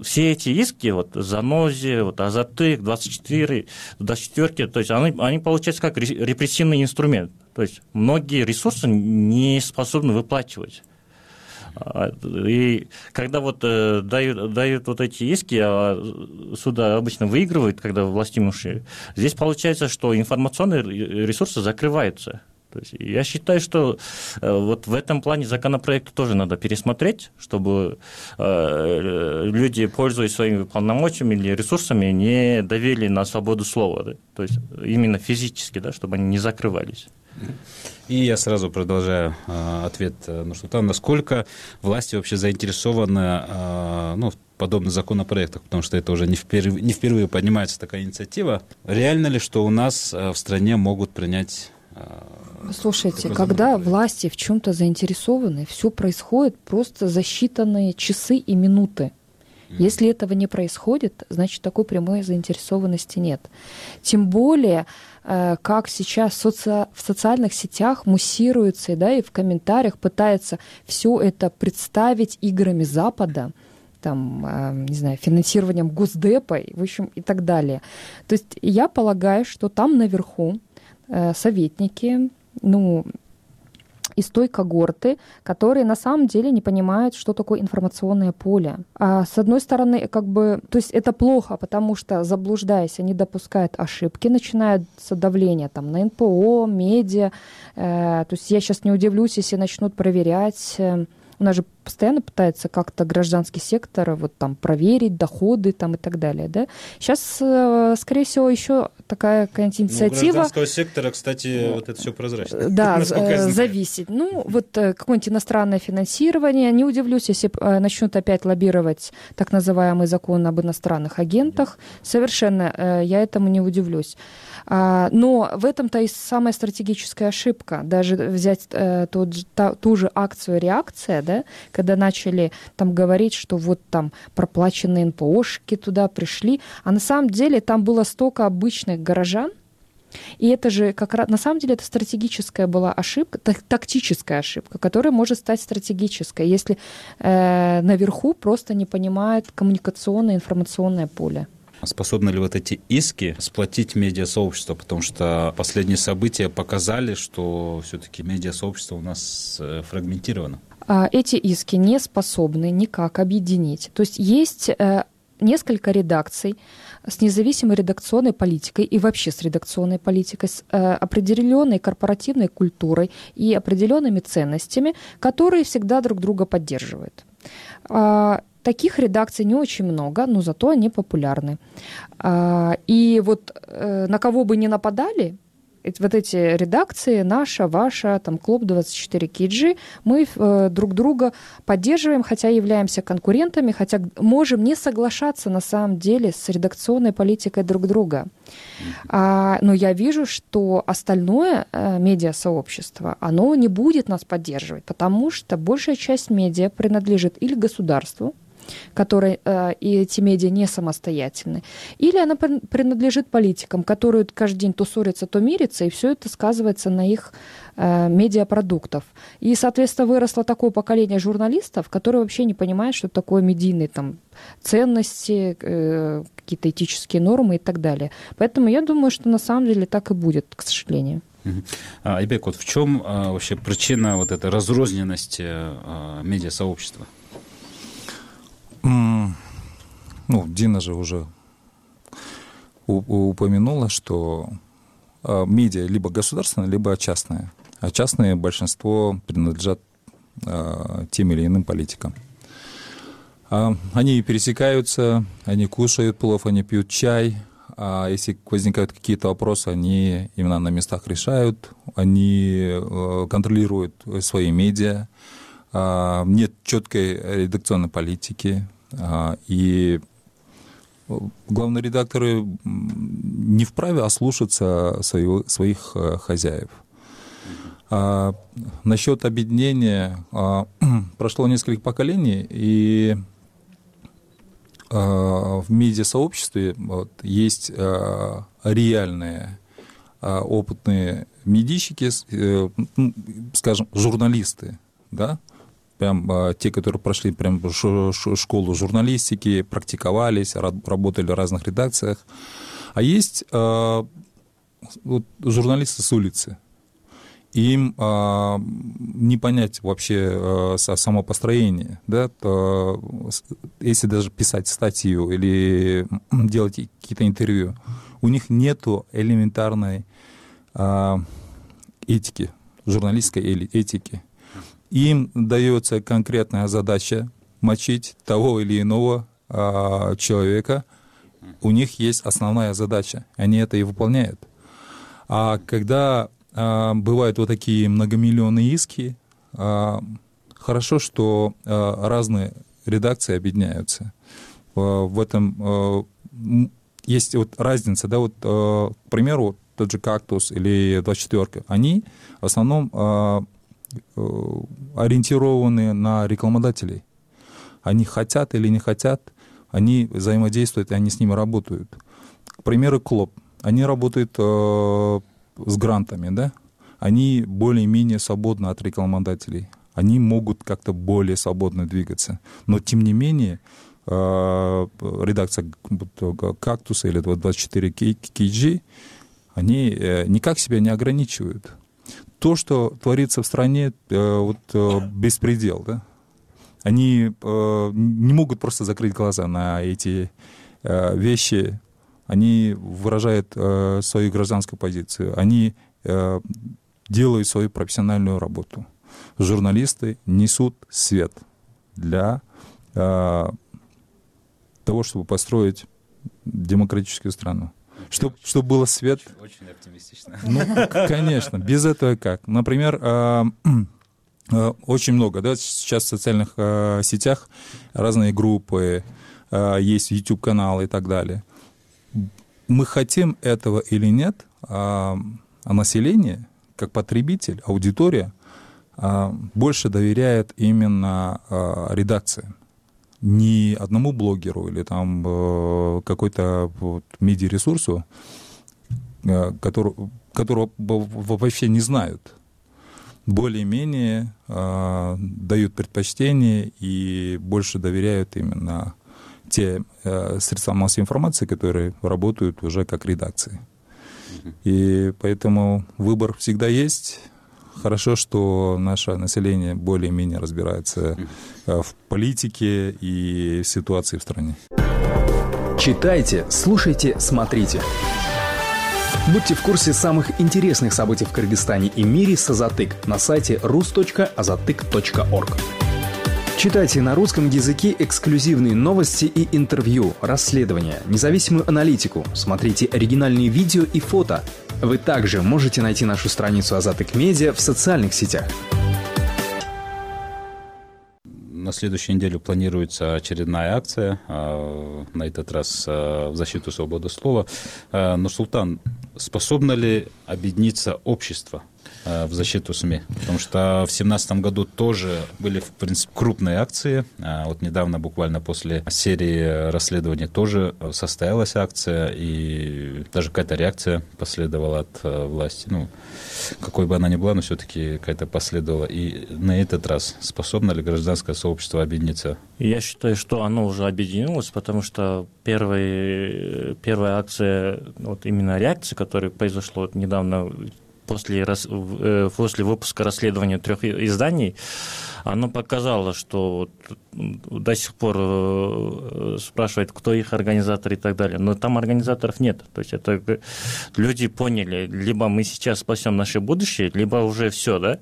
все эти иски, вот Занозе, вот Азатык, 24, то есть они получаются как репрессивный инструмент. То есть многие ресурсы не способны выплачивать. И когда вот дают вот эти иски, а суда обычно выигрывают, когда властимущие, здесь получается, что информационные ресурсы закрываются. То есть я считаю, что вот в этом плане законопроект тоже надо пересмотреть, чтобы люди, пользуясь своими полномочиями или ресурсами, не давили на свободу слова, да? То есть именно физически, да, чтобы они не закрывались. И я сразу продолжаю ответ Нурсултана. Насколько власти вообще заинтересованы в подобных законопроектах, потому что это уже не впервые поднимается такая инициатива. Реально ли, что у нас в стране могут принять... Слушайте, когда власти в чем-то заинтересованы, все происходит просто за считанные часы и минуты. Если этого не происходит, значит, такой прямой заинтересованности нет. Тем более, как сейчас в социальных сетях муссируется, да, и в комментариях пытается все это представить играми Запада, там, не знаю, финансированием Госдепа, в общем, и так далее. То есть я полагаю, что там наверху советники, из той когорты, которые на самом деле не понимают, что такое информационное поле. А с одной стороны, то есть это плохо, потому что, заблуждаясь, они допускают ошибки, начинается давление там, на НПО, медиа. То есть я сейчас не удивлюсь, если начнут проверять. У нас же постоянно пытается как-то гражданский сектор вот там проверить доходы там и так далее, да. Сейчас, скорее всего, еще такая какая-нибудь инициатива. У гражданского сектора, кстати, вот это все прозрачно. Да, зависит. Вот какое-нибудь иностранное финансирование. Не удивлюсь, если начнут опять лоббировать так называемый закон об иностранных агентах. Совершенно я этому не удивлюсь. Но в этом-то и самая стратегическая ошибка. Даже взять ту же акцию «Реакция», да, когда начали там говорить, что вот там проплаченные НПОшки туда пришли, а на самом деле там было столько обычных горожан, и это же как раз, на самом деле, это стратегическая была ошибка, тактическая ошибка, которая может стать стратегической, если наверху просто не понимают коммуникационное, информационное поле. Способны ли вот эти иски сплотить медиасообщество? Потому что последние события показали, что все-таки медиасообщество у нас фрагментировано. Эти иски не способны никак объединить. То есть есть несколько редакций с независимой редакционной политикой и вообще с редакционной политикой, с определенной корпоративной культурой и определенными ценностями, которые всегда друг друга поддерживают. Таких редакций не очень много, но зато они популярны. И вот на кого бы ни нападали, вот эти редакции, наша, ваша, там, Клуб 24 KG, мы друг друга поддерживаем, хотя являемся конкурентами, хотя можем не соглашаться на самом деле с редакционной политикой друг друга. Но я вижу, что остальное медиасообщество, оно не будет нас поддерживать, потому что большая часть медиа принадлежит или государству, которые и эти медиа не самостоятельны, или она принадлежит политикам, которые каждый день то ссорятся, то мирятся, и все это сказывается на их медиапродуктов. И, соответственно, выросло такое поколение журналистов, которые вообще не понимают, что такое медийные там ценности, какие-то этические нормы и так далее. Поэтому я думаю, что на самом деле так и будет, к сожалению. Айбек, вот в чем вообще причина вот этой разрозненности медиасообщества? Дина же уже упомянула, что медиа либо государственное, либо частное. А частные большинство принадлежат тем или иным политикам. Они пересекаются, они кушают плов, они пьют чай. А если возникают какие-то вопросы, они именно на местах решают, они контролируют свои медиа. Нет четкой редакционной политики, и главные редакторы не вправе ослушаться своих хозяев. Насчет объединения прошло несколько поколений, и в медиасообществе есть реальные опытные медийщики, скажем, журналисты, да? Прям те, которые прошли прям школу журналистики, практиковались, работали в разных редакциях. А есть журналисты с улицы. Им не понять вообще само построение. Да? Если даже писать статью или делать какие-то интервью, у них нету элементарной этики, журналистской этики. Им дается конкретная задача мочить того или иного человека. У них есть основная задача. Они это и выполняют. А когда бывают вот такие многомиллионные иски, хорошо, что разные редакции объединяются. В этом есть вот разница. Да, вот, к примеру, тот же «Кактус» или «24», они в основном ориентированы на рекламодателей. Они хотят или не хотят, они взаимодействуют, и они с ними работают. К примеру, «Клуб». Они работают с грантами, да? Они более-менее свободны от рекламодателей. Они могут как-то более свободно двигаться. Но, тем не менее, редакция «Кактуса» или 24 KG, они никак себя не ограничивают. То, что творится в стране, беспредел, да? Они не могут просто закрыть глаза на эти вещи. Они выражают свою гражданскую позицию. Они делают свою профессиональную работу. Журналисты несут свет для того, чтобы построить демократическую страну. Чтобы было свет. Очень оптимистично. Конечно, без этого как? Например, очень много, да, сейчас в социальных сетях разные группы, есть YouTube-каналы и так далее. Мы хотим этого или нет, а население, как потребитель, аудитория, больше доверяет именно редакциям. Не одному блогеру или там какой-то медиаресурсу, которого вообще не знают. Более-менее дают предпочтение и больше доверяют именно те средства массовой информации, которые работают уже как редакции. И поэтому выбор всегда есть. Хорошо, что наше население более-менее разбирается в политике и в ситуации в стране. Читайте, слушайте, смотрите. Будьте в курсе самых интересных событий в Кыргызстане и мире с Азатык на сайте rus.azatyk.org. Читайте на русском языке эксклюзивные новости и интервью, расследования, независимую аналитику. Смотрите оригинальные видео и фото. Вы также можете найти нашу страницу Азаттык Медиа в социальных сетях. На следующей неделе планируется очередная акция, на этот раз в защиту свободы слова. Нурсултан, способно ли объединиться общество в защиту СМИ? Потому что в 2017 году тоже были, в принципе, крупные акции. Вот недавно, буквально после серии расследований, тоже состоялась акция, и даже какая-то реакция последовала от власти. Ну, какой бы она ни была, но все-таки какая-то последовала. И на этот раз способно ли гражданское сообщество объединиться? Я считаю, что оно уже объединилось, потому что первая акция, вот именно реакция, которая произошла недавно после выпуска расследования 3 изданий, оно показало, что до сих пор спрашивают, кто их организатор и так далее. Но там организаторов нет. То есть это люди поняли, либо мы сейчас спасем наше будущее, либо уже все, да?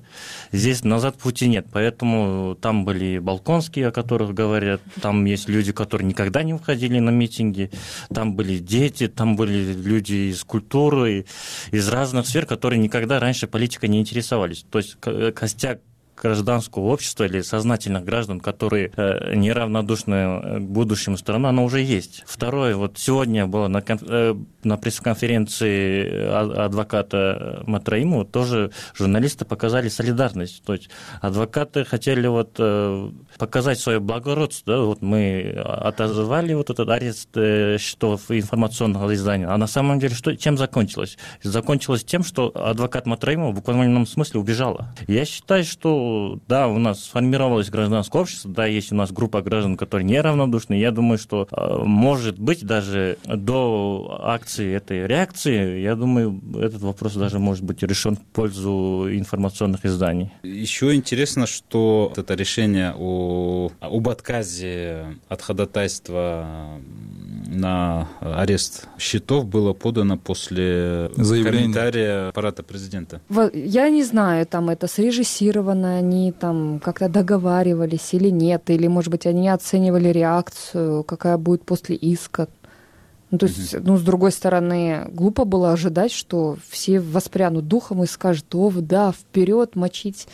Здесь назад пути нет. Поэтому там были балконские, о которых говорят, там есть люди, которые никогда не выходили на митинги, там были дети, там были люди из культуры, из разных сфер, которые никогда раньше политикой не интересовались. То есть костяк гражданского общества или сознательных граждан, которые неравнодушны к будущему страны, оно уже есть. Второе, вот сегодня было на пресс-конференции адвоката Матраимова, тоже журналисты показали солидарность. То есть адвокаты хотели вот показать свое благородство. Да? Вот мы отозвали вот этот арест счетов информационного издания. А на самом деле чем закончилось? Закончилось тем, что адвокат Матраимова в буквальном смысле убежала. Я считаю, что да, у нас сформировалось гражданское общество, да, есть у нас группа граждан, которые неравнодушны. Я думаю, что, может быть, даже до акции этой реакции, я думаю, этот вопрос даже может быть решен в пользу информационных изданий. Еще интересно, что это решение об отказе от ходатайства на арест счетов было подано после комментария аппарата президента. Я не знаю, там это срежиссировано, они там как-то договаривались или нет, или, может быть, они оценивали реакцию, какая будет после иска. Ну, то есть, с другой стороны, глупо было ожидать, что все воспрянут духом и скажут: о, да, вперед мочить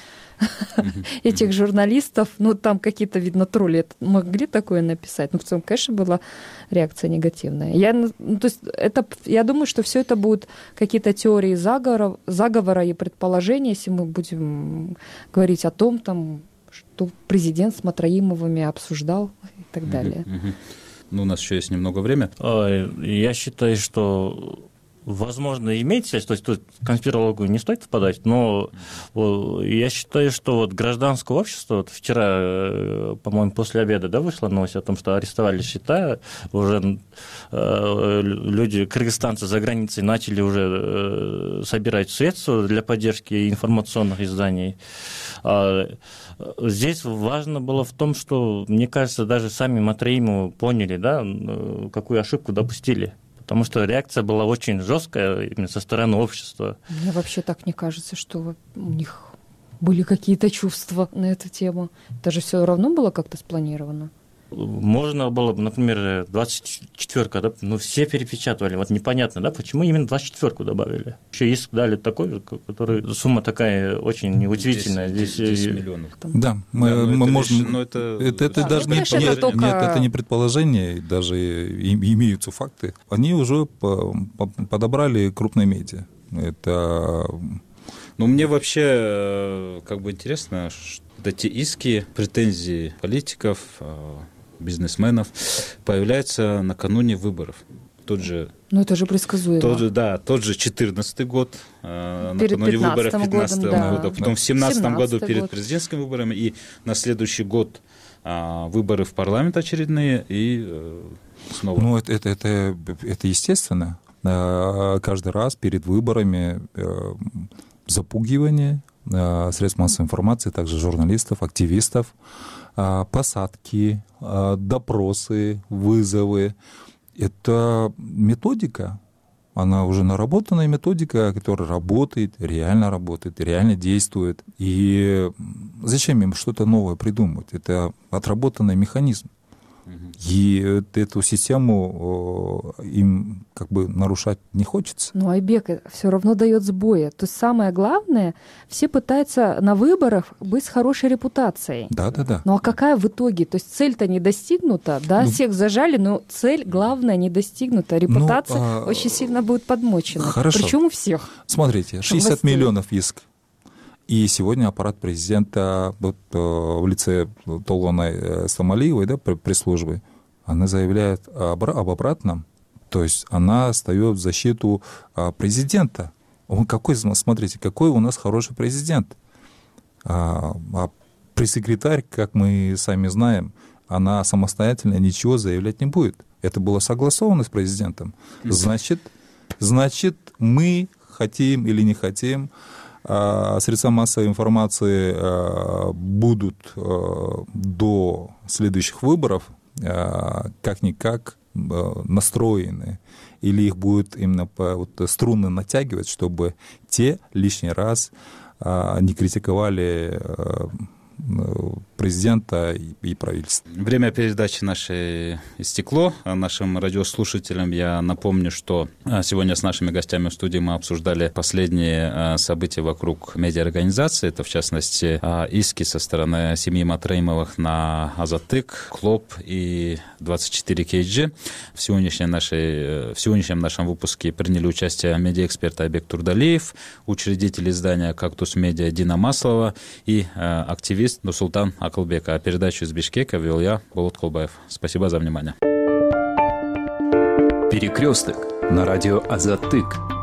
этих журналистов. Ну, там какие-то, видно, тролли могли такое написать. Но в целом, конечно, была реакция негативная. Я думаю, что все это будут какие-то теории заговора и предположения, если мы будем говорить о том, там, что президент с Матраимовыми обсуждал и так далее. Ну, у нас еще есть немного времени. Я считаю, что возможно, имеет связь, то есть тут конспирологию не стоит впадать, но я считаю, что вот гражданское общество, вот вчера, по-моему, после обеда, да, вышла новость о том, что арестовали счета, уже люди, кыргызстанцы за границей начали уже собирать средства для поддержки информационных изданий. Здесь важно было в том, что, мне кажется, даже сами Матраимовы поняли, да, какую ошибку допустили. Потому что реакция была очень жесткая именно со стороны общества. Мне вообще так не кажется, что у них были какие-то чувства на эту тему. Это же все равно было как-то спланировано. Можно было бы, например, 24-ка, да, ну, все перепечатывали. Вот непонятно, да, почему именно 24-ку добавили. Еще иск дали такой, который сумма такая очень удивительная. 10 миллионов. Да, мы можем... Это даже это не предположение, даже имеются факты. Они уже подобрали крупные медиа. Это... Ну, мне вообще как бы интересно, что эти иски, претензии политиков, бизнесменов появляются накануне выборов. Ну, это же предсказуемо. Тот же 2014 год, накануне выборов 2015 года, потом в 2017 году перед президентскими выборами, и на следующий год выборы в парламент очередные, и снова. Ну, это естественно. Каждый раз перед выборами запугивание средств массовой информации, также журналистов, активистов, посадки, допросы, вызовы. Это методика, она уже наработанная методика, которая работает, реально действует. И зачем им что-то новое придумывать? Это отработанный механизм. И эту систему им как бы нарушать не хочется. Ну, Айбек все равно дает сбои. То есть самое главное, все пытаются на выборах быть с хорошей репутацией. Да. Ну а какая в итоге? То есть цель-то не достигнута, да, всех зажали, но цель главная не достигнута. Репутация очень сильно будет подмочена. Хорошо. Причем у всех. Смотрите, 60 миллионов иск. И сегодня аппарат президента в лице Толгонай Стамалиевой, да, пресс-службы, она заявляет об обратном. То есть она встает в защиту президента. Смотрите, какой у нас хороший президент. А пресс-секретарь, как мы сами знаем, она самостоятельно ничего заявлять не будет. Это было согласовано с президентом. Значит, мы хотим или не хотим, средства массовой информации будут до следующих выборов как-никак настроены, или их будет именно струны натягивать, чтобы те лишний раз не критиковали президента и правительства. Время передачи нашей истекло. Нашим радиослушателям я напомню, что сегодня с нашими гостями в студии мы обсуждали последние события вокруг медиаорганизации. Это, в частности, иски со стороны семьи Матраимовых на Азаттык, Клоп и 24 KG. В сегодняшнем нашем выпуске приняли участие медиаэксперт Айбек Турдалиев, учредитель издания «Кактус Медиа» Дина Маслова и активист Нурсултан Акылбек. А передачу из Бишкека вел я, Болот Колбаев. Спасибо за внимание. Перекресток на радио Азаттык.